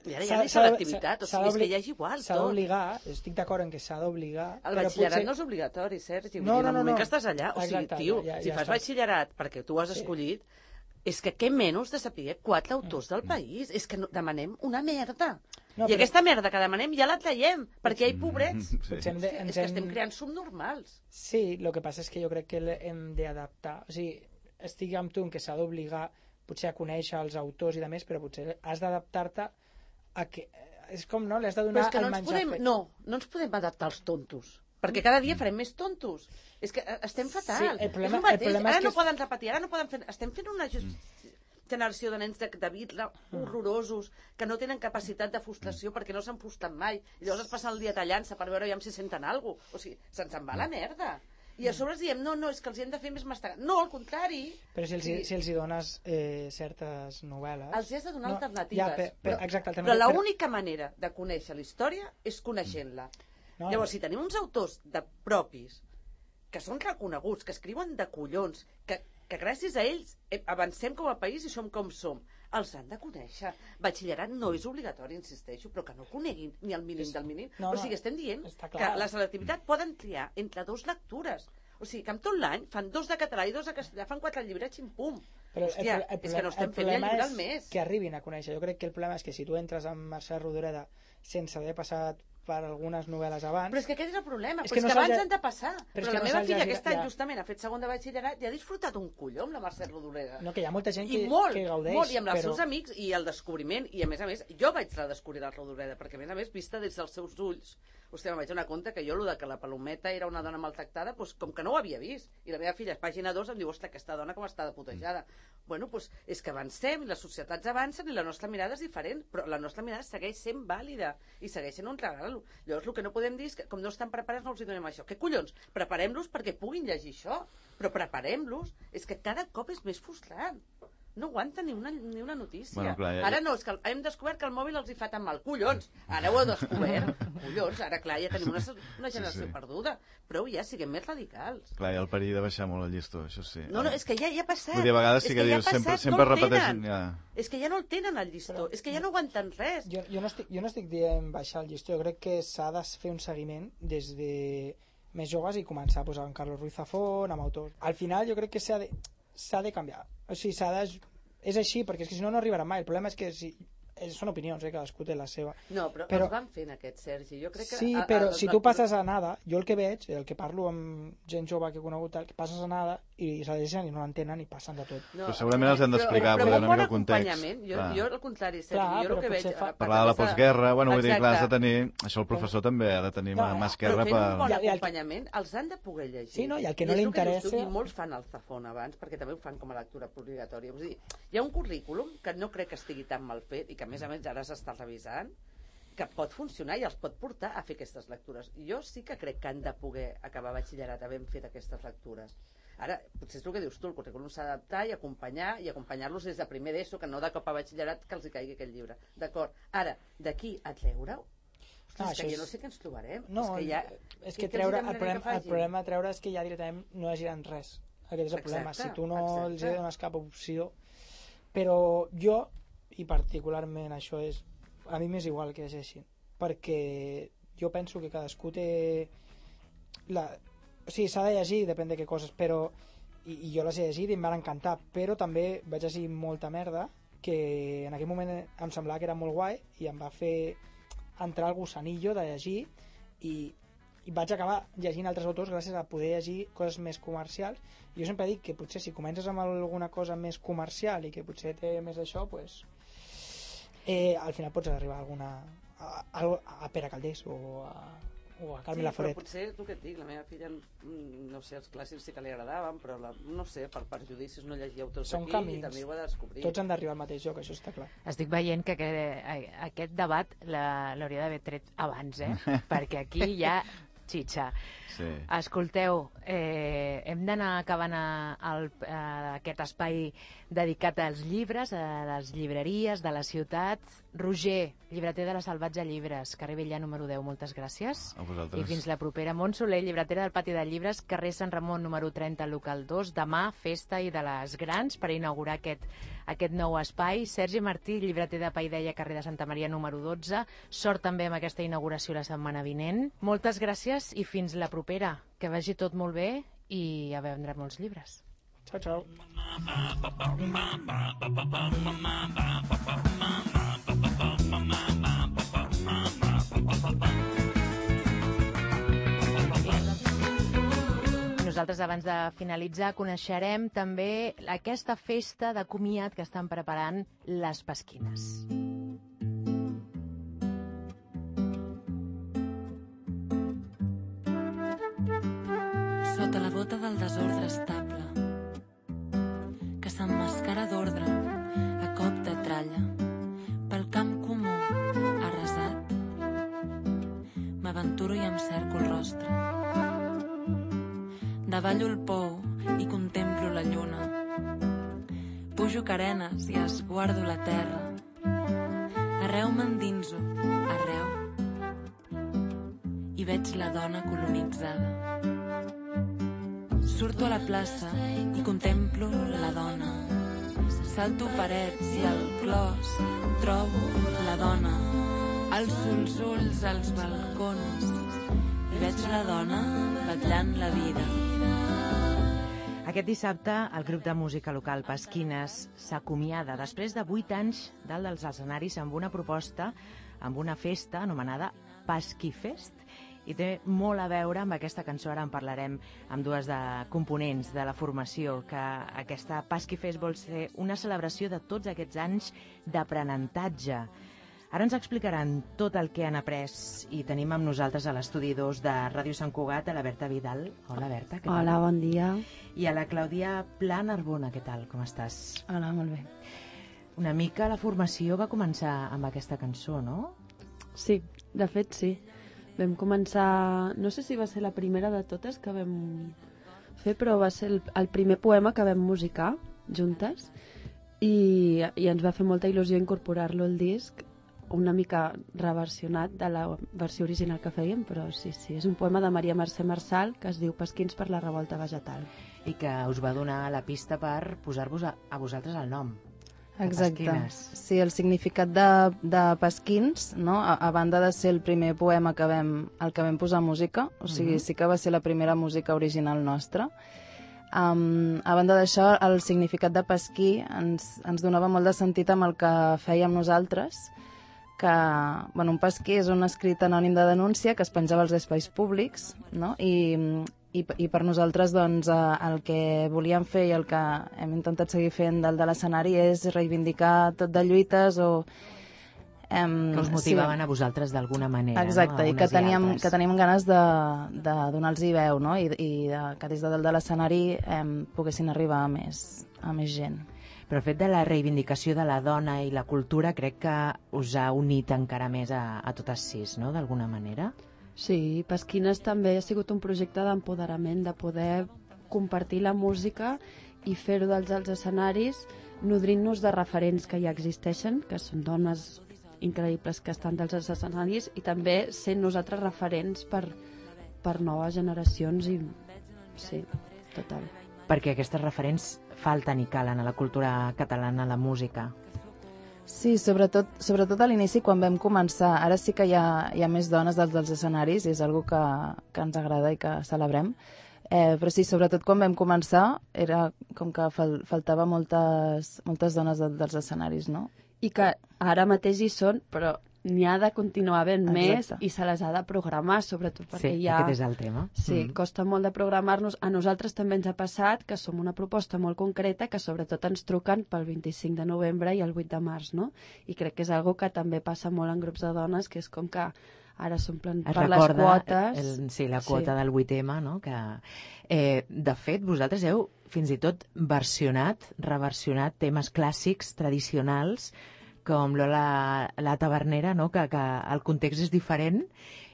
I ara ja ni selectivitat, o sigui, és que ja és igual tot. S'ha d'obligar, estic d'acord en que s'ha d'obligar... El batxillerat potser... no és obligatori, Sergi, no, vull dir, no, en el moment no. que estàs allà, o sigui, exacte, tio, ja, ja, si ja fas estàs... batxillerat perquè tu has escollit, sí. És que què menys de saber quatre autors del país? És que no, demanem una merda. No, I però... aquesta merda que demanem ja la traiem, perquè hi ha pobrets. Sí. Sí. Hem de, és que estem creant subnormals. Sí, el que passa és que jo crec que hem d'adaptar. O sigui, estic amb tu en que s'ha d'obligar potser a conèixer els autors i de més, però potser has d'adaptar-te a que... És com, no? Li has de donar però és que no el ens menjar podem, fet. No, no ens podem adaptar als tontos. Perquè cada dia farem més tontos. És que estem fatal. Sí, el problema, és el mateix. el problema Ara és que no poden repetir, ara no poden fer... Estem fent una just... generació de nens de, de vidre horrorosos que no tenen capacitat de frustració perquè no s'han frustrat mai. I llavors es passen el dia tallant-se per veure ja si senten alguna cosa. O sigui, se'ns en va la merda. I a sobre els diem, no, no, és que els hi hem de fer més mastegar. No, al contrari. Però si els, sí. si els hi dones eh, certes novel·les... Els hi has de donar no, alternatives. Ja, per, per, però exacte, però l'única manera de conèixer la història és coneixent-la. No. Llavors, si tenim uns autors de propis que són reconeguts, que escriuen de collons, que, que gràcies a ells avancem com a país i som com som, els han de conèixer. Batxillerat no és obligatori, insisteixo, però que no coneguin ni el mínim del mínim. No, no, o sigui, estem dient que la selectivitat poden triar entre dos lectures. O sigui, que amb tot l'any fan dos de català i dos de castellà, fan quatre llibres, xim-pum. Però hòstia, el, el, el, és que no estem fent ni el llibre al mes. Que arribin a conèixer. Jo crec que el problema és que si tu entres amb Mercè Rodoreda sense haver passat per algunes novel·les abans... Però és que aquest és el problema, és però que, és no que abans ja... han de passar. Però, però la no meva filla ja... aquest any ja. justament ha fet segon de batxillerat i ha disfrutat un colló amb la Mercè Rodoreda. No, que hi ha molta gent que, I molt, que gaudeix. Molt, i amb els però... seus amics i el descobriment, i a més a més, jo vaig redescobrir la Rodoreda, perquè a més a més, vista des dels seus ulls, hòstia, em vaig donar compte que jo, el de que la Palometa era una dona maltractada, doncs, com que no ho havia vist. I la meva filla, a pàgina dos, em diu, ostres, aquesta dona com està de putejada. Mm. Bueno, doncs, és que avancem, i les societats avancen, i la nostra mirada és diferent, però la nostra mirada segueix sent vàlida, i segueix sent un regal. Llavors, el que no podem dir és que, com no estan preparats, no els hi donem això. Què collons? Preparem-los perquè puguin llegir això, però preparem-los. És que cada cop és més frustrant. No aguanta ni una, ni una notícia. Bueno, clar, ja, ara no, és que hem descobert que el mòbil els hi fa tan mal. Collons, ara ho heu descobert. Collons, ara clar, ja tenim una, una generació sí, sí. perduda. Prou ja, siguem més radicals. Clar, hi ha el perill de baixar molt el llistó, això sí. No, no, és que ja, ja ha passat. Vull dir, a vegades sí que, que dius, ja sempre, sempre no repeteixen... Ja. És que ja no el tenen, el llistó. Però, és que ja no aguanten res. Jo, jo, no estic, jo no estic dient baixar el llistó. Jo crec que s'ha de fer un seguiment des de més joves i començar a posar en Carlos Ruiz Zafón, amb autors. Al final jo crec que s'ha de, s'ha de canviar. O sigui, s'ha de... És així, perquè és que si no, no arribarà mai. El problema és que si... són opinions, eh? Cadascú té la seva. No, però, però... els van fent aquests, Sergi. Jo crec que sí, a, a, però a, si tu passes a nada, jo el que veig, el que parlo amb gent jove que he conegut, el que passes a nada i s'adrecen i no l'entenen i passen de tot. No, però segurament els hem d'explicar, però, però, però una mica el context. Jo, jo al contrari, Sergi, clar, jo el que veig... Fa... Parlar de la postguerra, bueno, vull dir, clar, has de tenir... Això el professor també ha de tenir mà esquerra per... Però fent un bon acompanyament, els han de poder llegir. Sí, no? I el que no li interessa... I molts fan el Zafón abans, perquè també ho fan com a lectura obligatòria. És a dir, hi ha un currículum que no crec que estigui tan mal fet i que, a més a més, ara s'està revisant, que pot funcionar i els pot portar a fer aquestes lectures. Jo sí que crec que han de poder acabar batxillerat havent fet aquestes lectures. Ara, potser és el que dius tu, el currículum s'ha d'adaptar i acompanyar, i acompanyar-los des de primer d'ESO, que no de cop a batxillerat que els hi caigui aquest llibre. D'acord. Ara, d'aquí a treure-ho, ah, és que jo no sé què ens trobarem. No, és que, ja... és que treure, el, problema, el problema a treure és que ja directament no llegiran res. Aquest és el exacte, problema. Si tu no exacte. els dones cap opció... Però jo, i particularment això és... A mi m'és igual que llegeixin. Perquè jo penso que cadascú té... La... O sigui, s'ha de llegir, depèn de què coses, però... I, i jo les he llegit i em van encantar, però també vaig llegir molta merda que en aquell moment em semblava que era molt guai i em va fer entrar al gusanillo de llegir i, i vaig acabar llegint altres autors gràcies a poder llegir coses més comercials. Jo sempre dic que potser si comences amb alguna cosa més comercial i que potser té més d'això, pues, eh, al final pots arribar a alguna a, a, a Pere Calders o a, o a Carme sí, Laforet. Però potser és el que et dic, la meva filla, no sé, els clàssics sí que li agradaven, però la, no sé, per, per judicis no llegia autors Són d'aquí camins. I també ho ha de descobrir. Tots han d'arribar al mateix lloc, això està clar. Estic veient que aquest, aquest debat l'hauria d'haver tret abans, eh? Perquè aquí hi ha xitxa. Sí. Escolteu, eh, hem d'anar acabant a, a, a aquest espai dedicat als llibres, a les llibreries de la ciutat. Roger, llibreter de la Salvatge Llibres, carrer Vella número deu, moltes gràcies. A vosaltres. I fins la propera. Mont Soler, llibretera del Pati de Llibres, carrer Sant Ramon número trenta, local dos. Demà, festa i de les grans per inaugurar aquest, aquest nou espai. Sergi Martí, llibreter de Paideia, carrer de Santa Maria número dotze. Sort també amb aquesta inauguració la setmana vinent. Moltes gràcies i fins la propera. Que vagi tot molt bé i a vendre molts llibres. Ciao, ciao. Nosaltres, abans de finalitzar, coneixerem també aquesta festa de comiat que estan preparant les Pasquines. Sota la bota del desordre estable, que s'emmascara d'ordre a cop de tralla, pel camp comú arrasat, m'aventuro i em cerco el rostre. Davallo el pou i contemplo la lluna, pujo carenes i esguardo la terra, arreu m'endinso, arreu, i veig la dona colonitzada. Surto a la plaça i contemplo la dona. Salto parets i al clos trobo la dona. Alço els ulls als balcons i veig la dona vetllant la vida. Aquest dissabte, el grup de música local Pasquines s'acomiada després de vuit anys dalt dels escenaris amb una proposta, amb una festa anomenada Pasquifest, i té molt a veure amb aquesta cançó. Ara en parlarem amb dues de components de la formació, que aquesta Pasquifest vol ser una celebració de tots aquests anys d'aprenentatge. Ara ens explicaran tot el que han après i tenim amb nosaltres a l'estudi dos de Ràdio Sant Cugat a la Berta Vidal. Hola, Berta, què tal? Hola, bon dia. I a la Clàudia Pla Narbona, què tal, com estàs? Hola, molt bé. Una mica la formació va començar amb aquesta cançó, no? Sí, de fet sí. Vam començar, no sé si va ser la primera de totes que vam fer, però va ser el, el primer poema que vam musicar juntes i, i ens va fer molta il·lusió incorporar-lo al disc, una mica reversionat de la versió original que fèiem, però sí, sí, és un poema de Maria Mercè Marçal que es diu Pasquins per la revolta vegetal. I que us va donar la pista per posar-vos a, a vosaltres el nom. Exacte. Sí, el significat de, de Pasquins, no? a, a banda de ser el primer poema que vam, el que vam posar música, o sigui, uh-huh. sí que va ser la primera música original nostra. Um, a banda d'això, el significat de pasquí ens, ens donava molt de sentit amb el que fèiem nosaltres, que bueno, un pasquí és un escrit anònim de denúncia que es penjava als espais públics, no? I, i, i per nosaltres doncs, el que volíem fer i el que hem intentat seguir fent dalt de l'escenari és reivindicar tot de lluites o... Um, que us motivaven sí. a vosaltres d'alguna manera. Exacte, no? i que teníem, i que teníem ganes de, de donar-los veu, no? I, i de, que des de dalt de l'escenari um, poguessin arribar a més, a més gent. Però el fet de la reivindicació de la dona i la cultura crec que us ha unit encara més a, a totes sis, no?, d'alguna manera. Sí, Pasquines també ha sigut un projecte d'empoderament, de poder compartir la música i fer-ho dels als escenaris, nodrint-nos de referents que ja existeixen, que són dones increïbles que estan dels escenaris, i també sent nosaltres referents per, per noves generacions i sí, total. Perquè aquestes referents falten i calen a la cultura catalana, a la música. Sí, sobretot, sobretot a l'inici quan vam començar. Ara sí que hi ha, hi ha més dones dels, dels escenaris i és una cosa que, que ens agrada i que celebrem. Eh, però sí, sobretot quan vam començar, era com que fal faltava moltes, moltes dones de, dels escenaris, no? I que ara mateix hi són, però n'hi ha de continuar havent més Exacte. i se les ha de programar, sobretot perquè Sí, hi ha... aquest és el tema. Sí, Mm. costa molt de programar-nos. A nosaltres també ens ha passat que som una proposta molt concreta que sobretot ens truquen pel vint-i-cinc de novembre i el vuit de març, no? I crec que és algo que també passa molt en grups de dones, que és com que ara s'omplen Es per les recorda quotes. el, sí, la quota Sí. del vuit eme, no? Que, eh, de fet, vosaltres heu fins i tot versionat, reversionat temes clàssics, tradicionals, com Lola la Tavernera, no? que, que el context és diferent,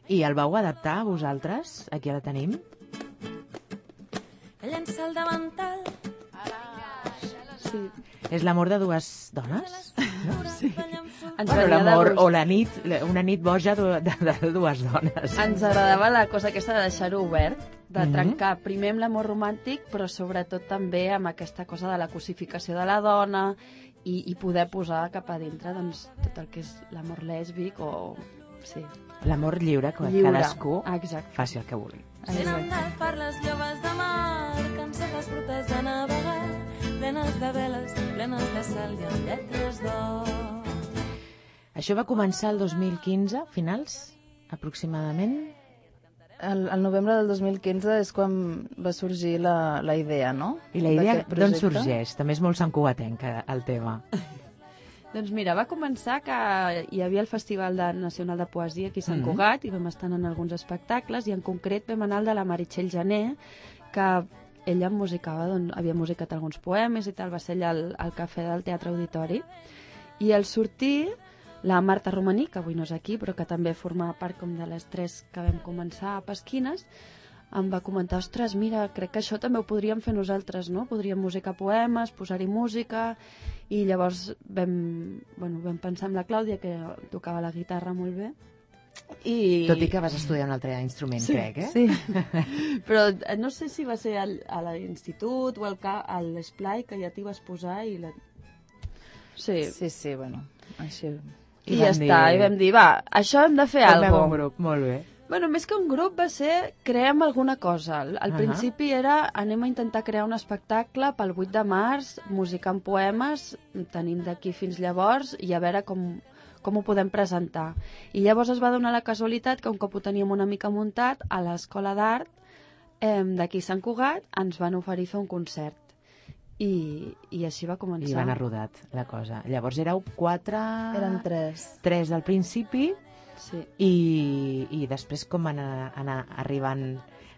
i el vau adaptar vosaltres? Aquí la tenim. Llença el davantal. Sí. És l'amor de dues dones? No? Sí. Ens Bueno, venia de l'amor, gust. o la nit, una nit boja de, de, de dues dones. Ens agradava la cosa aquesta de deixar-ho obert, de Mhm. trencar primer amb l'amor romàntic, però sobretot també amb aquesta cosa de la cosificació de la dona i, i poder posar cap a dintre doncs, tot el que és l'amor lèsbic o... Sí. L'amor lliure, que Lliure. cadascú Exacte. faci el que vulgui. Venen de far les lloves de mar, cansen les rutes de navegar, plenes de veles, plenes de cel i amb lletres d'or. Això va començar el dos mil quinze, finals, aproximadament? El, el novembre del dos mil quinze és quan va sorgir la, la idea, no? I la idea D'aquest d'on projecte. sorgeix? També és molt santcugatenc, el tema. Doncs mira, va començar que hi havia el Festival de Nacional de Poesia aquí a Sant Mhm. Cugat i vam estar en alguns espectacles i en concret vam anar al de la Meritxell Jané, que ella musicava, doncs, havia musicat alguns poemes i tal, va ser allà al, al cafè del Teatre Auditori. I al sortir, la Marta Romaní, que avui no és aquí, però que també forma part com de les tres que vam començar a Pesquines, em va comentar, ostres, mira, crec que això també ho podríem fer nosaltres, no? Podríem musicar poemes, posar-hi música, i llavors vam, bueno, vam pensar en la Clàudia, que tocava la guitarra molt bé, i... Tot i que vas estudiar un altre instrument, Sí, crec, eh? Sí. Però eh, no sé si va ser al, a l'institut o al ca- a l'Esplai, que ja t'hi vas posar i la... Sí, Sí, sí, bueno, així... i, I ja vam està, dir- i vam dir, va, això hem de fer Formem alguna un cosa. grup, molt bé. Bueno, més que un grup va ser creem alguna cosa. Al, al Ahà. principi era anem a intentar crear un espectacle pel vuit de març, musicant poemes, tenim d'aquí fins llavors i a veure com, com ho podem presentar. I llavors es va donar la casualitat que un cop ho teníem una mica muntat, a l'Escola d'Art eh, d'aquí a Sant Cugat ens van oferir fer un concert. I, i així va començar. I van a rodat la cosa. Llavors éreu quatre... Eren tres. Tres al principi Sí. i, i després com van anar, anar arribant...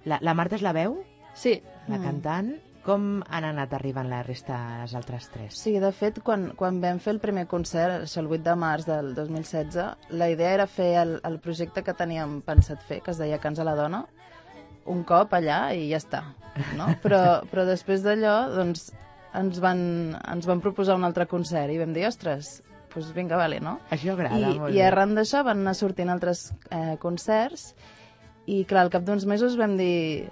La, la Marta és la veu, Sí. la Mm. cantant. Com han anat arribant la resta, les altres tres? Sí, de fet, quan, quan vam fer el primer concert, això el vuit de març del dos mil setze, la idea era fer el, el projecte que teníem pensat fer, que es deia Cants a la Dona, un cop allà i ja està, no? Però, però després d'allò, doncs, ens van, ens van proposar un altre concert i vam dir, ostres, doncs vinga, vale, no? Això agrada, I, molt i bé. arran d'això van anar sortint altres eh, concerts i, clar, al cap d'uns mesos vam dir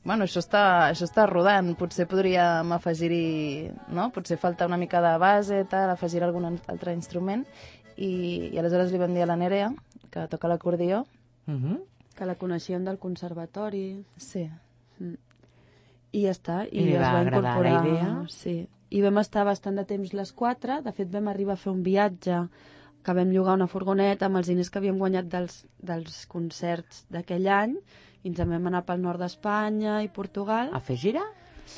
bueno, això està, això està rodant, potser podríem afegir-hi, no? Potser falta una mica de base, tal, afegir algun altre instrument i, i aleshores li vam dir a la Nerea, que toca l'acordió. Mhm. Que la coneixíem del conservatori. Sí. Mm. I ja està. I, I li es va va agradar incorporar... la idea? Sí. I vam estar bastant de temps les quatre. De fet, vam arribar a fer un viatge que vam llogar una furgoneta amb els diners que havíem guanyat dels, dels concerts d'aquell any i ens en vam anar pel nord d'Espanya i Portugal. A fer gira?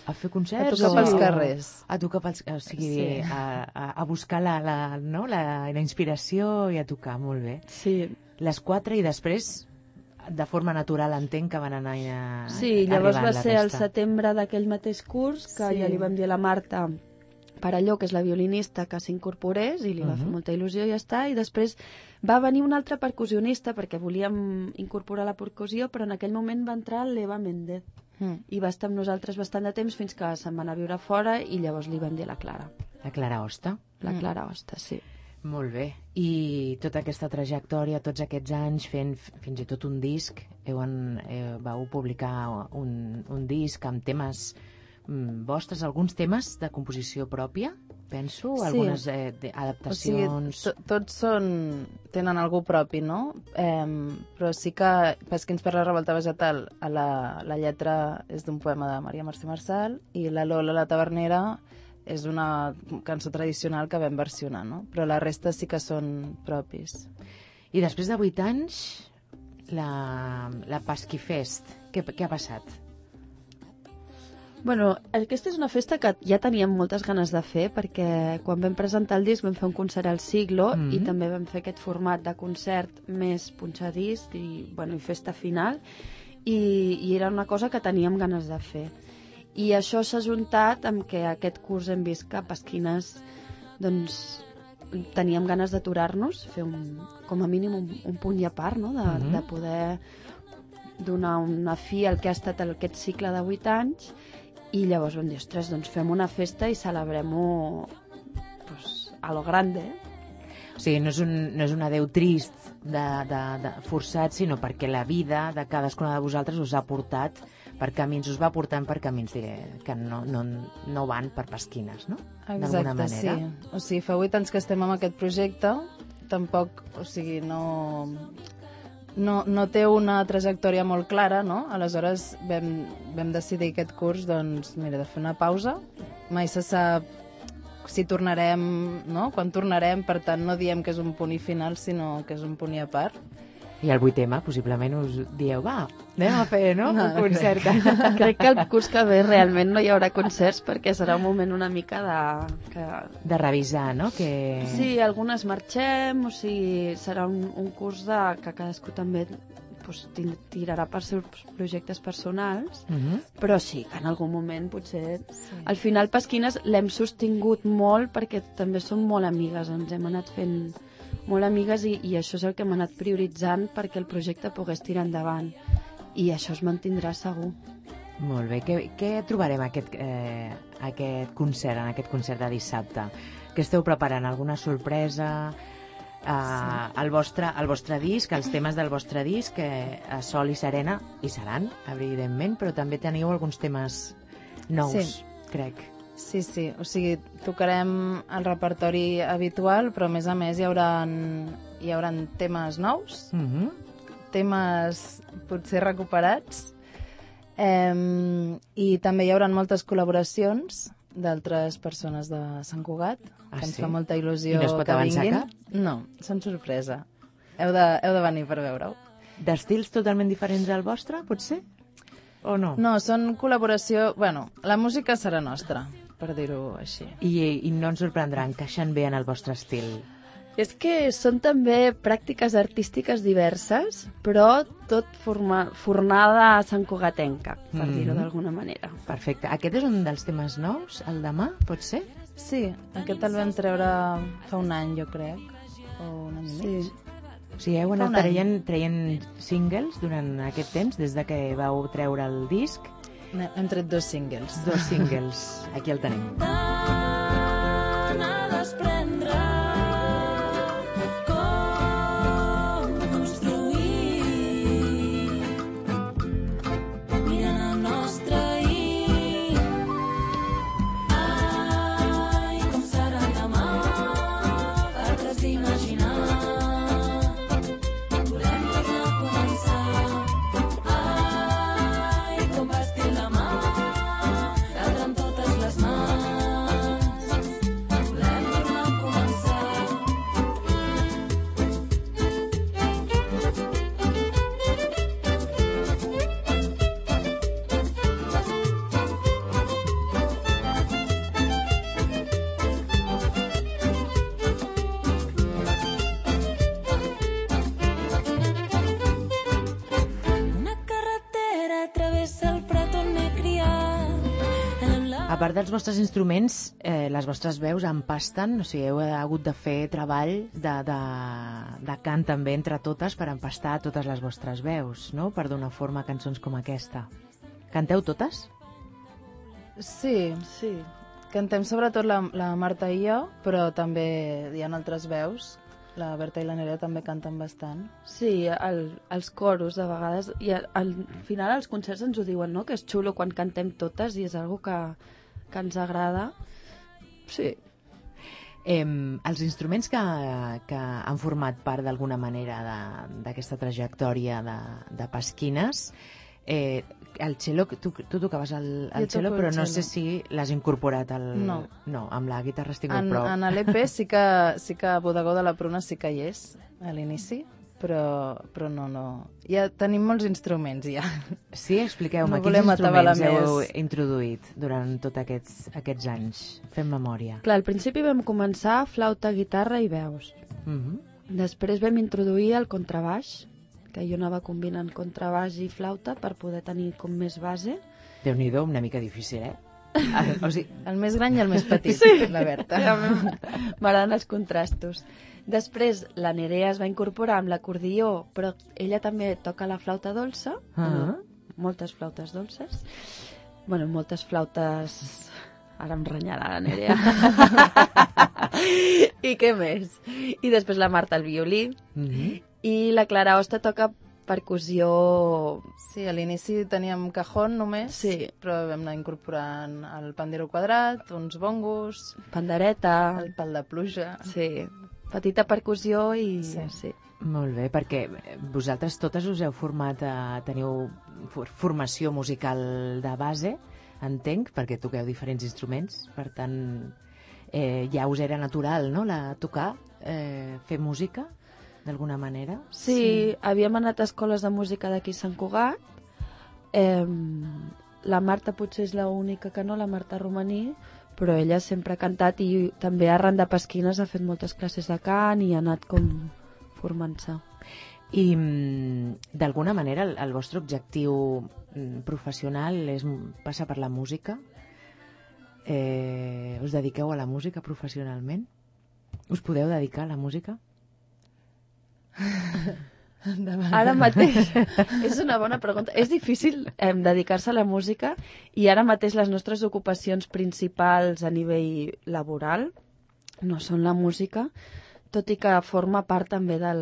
A fer concerts? A tocar o- pels carrers. A tocar pels... O sigui, Sí. a, a, a buscar la, la, no? la, la inspiració i a tocar, molt bé. Sí. Les quatre i després, de forma natural, entenc que van anar a, Sí, llavors arribant va la ser el resta. setembre d'aquell mateix curs que Sí. ja li vam dir a la Marta Parelló, que és la violinista, que s'incorporés i li va fer Mhm. molta il·lusió i ja està. I després va venir un altre percussionista perquè volíem incorporar la percussió, però en aquell moment va entrar l'Eva Méndez Mm. i va estar amb nosaltres bastant de temps fins que se'n va anar a viure fora i llavors li vam dir a la Clara. La Clara Hosta. La Mm. Clara Hosta, sí. Molt bé. I tota aquesta trajectòria, tots aquests anys fent f- fins i tot un disc, heu, en, eh, vau publicar un, un disc amb temes mm, vostres, alguns temes de composició pròpia? penso, Sí. algunes eh, de- adaptacions... O sigui, to- tots són, tenen algú propi, no? Eh, però sí que Pesquins per la revolta vegetal, a la, la lletra és d'un poema de Maria Mercè Marçal i la Lola la tavernera és una cançó tradicional que vam versionar, no? Però la resta sí que són propis. I després de vuit anys, la, la Pasquifest, què, què ha passat? Bueno, aquesta és una festa que ja teníem moltes ganes de fer perquè quan vam presentar el disc vam fer un concert al Siglo Mhm. i també vam fer aquest format de concert més punxadisc i, bueno, i festa final i, i era una cosa que teníem ganes de fer. I això s'ha juntat amb que aquest curs hem vist que a Pasquines doncs, teníem ganes d'aturar-nos, fer un, com a mínim un, un punt i a part, no? de, Mhm. de poder donar una fi al que ha estat aquest cicle de vuit anys i llavors vam dir, ostres, doncs fem una festa i celebrem-ho pues, a lo grande. O sigui, no és un, no és un adeu trist de, de, de forçat, sinó perquè la vida de cadascuna de vosaltres us ha portat per camins, us va portant per camins de, que no, no, no van per Pasquines, no? D'alguna Exacte, sí. manera. O sigui, fa vuit anys que estem amb aquest projecte, tampoc, o sigui, no... No, no té una trajectòria molt clara, no? Aleshores vam, vam decidir aquest curs, doncs, mira, de fer una pausa. Mai se sap si tornarem, no? Quan tornarem, per tant, no diem que és un punt i final, sinó que és un punt i a part. I el vuit ema, possiblement us dieu, va, anem a fer, no? No, Un concert. Crec que el curs que ve realment no hi haurà concerts perquè serà un moment una mica de... Que... De revisar, no? Que... Sí, algunes marxem, o sigui, serà un, un curs de, que cadascú també pues, tirarà per seus projectes personals, Mhm. però sí, que en algun moment potser... Sí. Al final Pasquines l'hem sostingut molt perquè també som molt amigues, ens hem anat fent molt amigues i, i això és el que hem anat prioritzant perquè el projecte pogués tirar endavant i això es mantindrà segur. Molt bé. Què, què trobarem aquest, eh, aquest concert, en aquest concert de dissabte? Què esteu preparant? Alguna sorpresa? Uh, sí. el, vostre, el vostre disc, els temes del vostre disc, que a Sol i Serena hi seran, evidentment, però també teniu alguns temes nous, Sí. crec. Sí, sí, o sigui, tocarem el repertori habitual, però a més a més hi haurà, hi haurà temes nous, Mhm. temes potser recuperats, eh, i també hi haurà moltes col·laboracions d'altres persones de Sant Cugat, Ah, que ens sí? fa molta il·lusió I no es pot que avançar vinguin. cap? No, són sorpresa. Heu de, heu de venir per veure-ho. D'estils totalment diferents al vostre, potser? O no? No, són col·laboració... Bueno, la música serà nostra, per dir-ho així. I, I no ens sorprendrà, encaixen bé en el vostre estil. És que són també pràctiques artístiques diverses, però tot forma, fornada santcugatenca, per Mhm. dir-ho d'alguna manera. Perfecte. Aquest és un dels temes nous, el demà, pot ser? Sí, aquest el vam treure fa un any, jo crec, o un any i mig. Sí. O sigui, heu Fa anat un any. traient, traient singles durant aquest temps, des de que vau treure el disc. Ne- Hem tret dos singles. Dos singles. Aquí el tenim. A desprendre com construir mirant el nostre ahir. Ai, com serà el demà, altres d'imaginar. Volem tornar a començar. Ai, com vestir la mà, l'altre amb totes les mans. Volem tornar a començar. Una carretera travessa el prat on m'he criat. En la... A part dels vostres instruments, eh, les vostres veus empasten, o sigui, heu hagut de fer treball de, de, de cant també entre totes per empastar totes les vostres veus, no?, per donar forma a cançons com aquesta. Canteu totes? Sí, Sí. cantem sobretot la, la Marta i jo, però també hi ha altres veus. La Berta i la Nerea també canten bastant. Sí, el, els coros de vegades, i al, al final els concerts ens ho diuen, no?, que és xulo quan cantem totes i és algo que, que ens agrada. Sí, Eh, els instruments que, que han format part d'alguna manera d'aquesta trajectòria de, de Pasquines, eh, el cello, tu, tu tocaves el, el cello, però no sé si l'has incorporat al... No. No, amb la guitarra estic molt En, prou. en l'E P sí que, sí que Bodegó de la Pruna sí que hi és, a l'inici, però, però no, no. Ja tenim molts instruments, ja. Sí, expliqueu-me, No quins volem atabalar instruments heu més. introduït durant tots aquests, aquests anys? Fem memòria. Clar, al principi vam començar flauta, guitarra i veus. Mhm. Després vam introduir el contrabaix, que jo anava combinant contrabaix i flauta per poder tenir com més base. Déu-n'hi-do, una mica difícil, eh? Ah, o sigui, El més gran i el més petit, Sí. la Berta. M'agraden els contrastos. Després la Nerea es va incorporar amb l'acordió, però ella també toca la flauta dolça, Ah. bueno, moltes flautes dolces. Bueno, moltes flautes... Ara em renyarà la Nerea. I què més? I després la Marta el violí. mhm. I la Clara Hosta toca percussió... Sí, a l'inici teníem cajón només, Sí. però vam anar incorporant el pandero quadrat, uns bongos, pandereta... el pal de pluja... Sí, petita percussió i... Sí. sí. Molt bé, perquè vosaltres totes us heu format, a, teniu for- formació musical de base, entenc, perquè toqueu diferents instruments, per tant, eh, ja us era natural, no?, la tocar, eh, fer música, d'alguna manera. Sí, sí, havíem anat a escoles de música d'aquí a Sant Cugat. Eh, la Marta potser és l'única que no, la Marta Romaní, però ella sempre ha cantat i també arran de Pasquines ha fet moltes classes de cant i ha anat com formant-se. I mm, d'alguna manera el, el vostre objectiu mm, professional és m- passar per la música? Eh, us dediqueu a la música professionalment? Us podeu dedicar a la música? Ara mateix, és una bona pregunta. És difícil eh, dedicar-se a la música i ara mateix les nostres ocupacions principals a nivell laboral no són la música, tot i que forma part també del,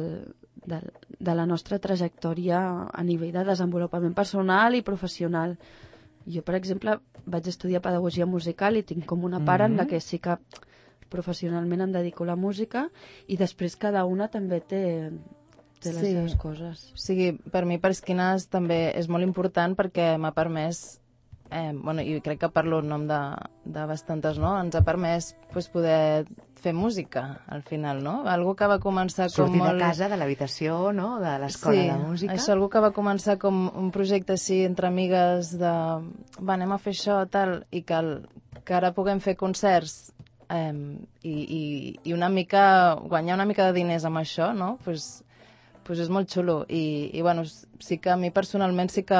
del, de la nostra trajectòria a nivell de desenvolupament personal i professional. Jo, per exemple, vaig estudiar pedagogia musical i tinc com una part mm-hmm. en la que sí que professionalment em dedico a la música i després cada una també té, té les Sí. seves coses. O sigui, per mi Pasquines també és molt important perquè m'ha permès, eh, bueno, i crec que parlo en nom de, de bastantes, no? Ens ha permès pues, poder fer música, al final, no? Algo que va començar Sortir com molt... de casa, de l'habitació, no?, de l'escola sí, de música. això, algo que va començar com un projecte així entre amigues de va, anem a fer això, tal, i que, el, que ara puguem fer concerts eh, i, i, i una mica, guanyar una mica de diners amb això, no? Pues, pues és molt xulo i, i bueno, sí que a mi personalment sí que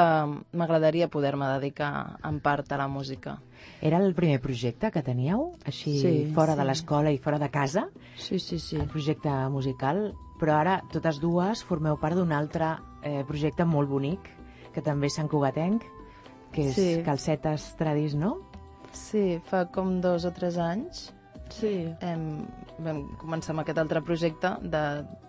m'agradaria poder-me dedicar en part a la música. Era el primer projecte que teníeu, així Sí, fora de sí. l'escola i fora de casa, Sí, sí, sí. el projecte musical, però ara totes dues formeu part d'un altre eh, projecte molt bonic, que també és Sant Cugatenc, que és Sí. Calcetes Tradis, no? Sí, fa com dos o tres anys Sí. Em, vam començar amb aquest altre projecte de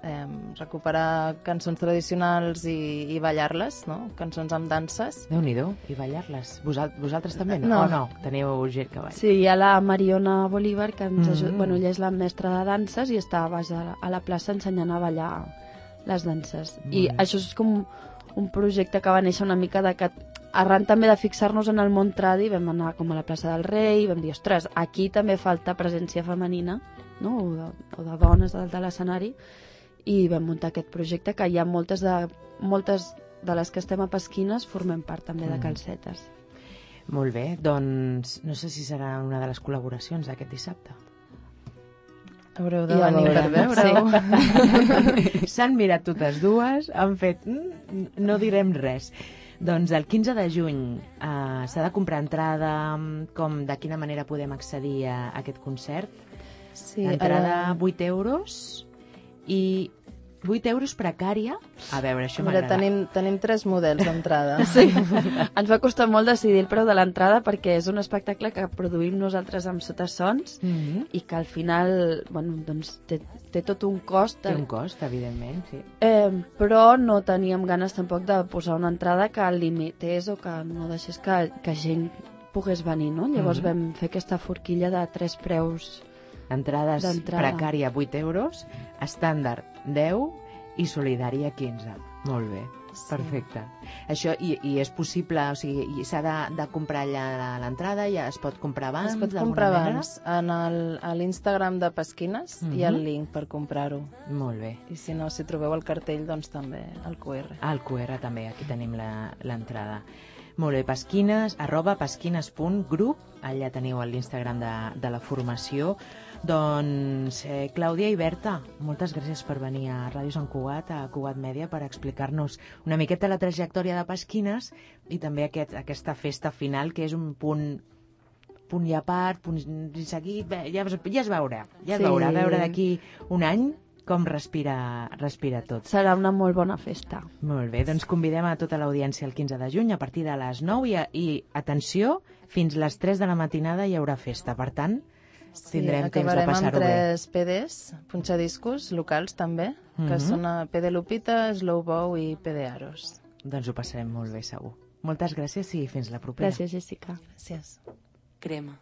em, recuperar cançons tradicionals i, i ballar-les, no? Cançons amb danses. Déu-n'hi-do, i ballar-les. Vosal vosaltres també, no? No. O no? Teniu gent que balla. Sí, hi ha la Mariona Bolívar, que ens ajuda, Mm. bueno, ella és la mestra de danses i està a baix a la, a la plaça ensenyant a ballar les danses. I Mm. això és com un projecte que va néixer una mica de que arran també de fixar-nos en el món tradi vam anar com a la plaça del Rei i vam dir, ostres, aquí també falta presència femenina, no? o, de, o de dones dalt de l'escenari, i vam muntar aquest projecte que hi ha moltes de, moltes de les que estem a Pasquines formem part també de Mm. Calcetes. Molt bé, doncs no sé si serà una de les col·laboracions d'aquest dissabte. Haureu de Ja venir per veurem, veure-ho. S'han mirat totes dues, han fet... "Mm, no direm res. Doncs el quinze de juny eh, s'ha de comprar entrada, com de quina manera podem accedir a aquest concert? Sí, Entrada ara- vuit euros i vuit euros precària. A veure, això Mira, m'agrada. tenim, tenim tres models d'entrada. Sí, ens va costar molt decidir el preu de l'entrada perquè és un espectacle que produïm nosaltres amb sotasons Mhm. i que al final bueno, doncs té, té tot un cost. Té un cost, evidentment, sí. Eh, però no teníem ganes tampoc de posar una entrada que limités o que no deixés que, que gent pogués venir, no? Llavors Mhm. vam fer aquesta forquilla de tres preus Entrades precària vuit euros, estàndard deu i solidària quinze. Molt bé, sí. Perfecte. Això, i, i és possible, o sigui, s'ha de, de comprar allà l'entrada, ja es pot comprar abans? Es pot comprar abans. En el, a l'Instagram de Pasquines uh-huh. hi ha el link per comprar-ho. Molt bé. I si no, si trobeu el cartell, doncs també el Q R. Ah, el Q R també, aquí tenim l'entrada. Molt bé, Pasquines, arroba pasquines punt grup, allà teniu l'Instagram de, de la formació. Doncs, eh, Clàudia i Berta, moltes gràcies per venir a Ràdio Sant Cugat, a Cugat Mèdia, per explicar-nos una miqueta la trajectòria de Pasquines i també aquest, aquesta festa final, que és un punt, punt i a part, punt i seguit, bé, ja, ja es veurà, ja es sí. veurà, a veure d'aquí un any com respira, respira tot. Serà una molt bona festa. Molt bé, doncs convidem a tota l'audiència el quinze de juny a partir de les nou i, i atenció, fins les tres de la matinada hi haurà festa, per tant, sí, tindrem temps de passar-ho bé. Acabarem amb tres P Ds, punxadiscos locals també, que mm-hmm. són P D Lupita, Slow Bow i P D Aros. Doncs ho passarem molt bé, segur. Moltes gràcies i fins la propera. Gràcies, Jessica. Gràcies. Crema.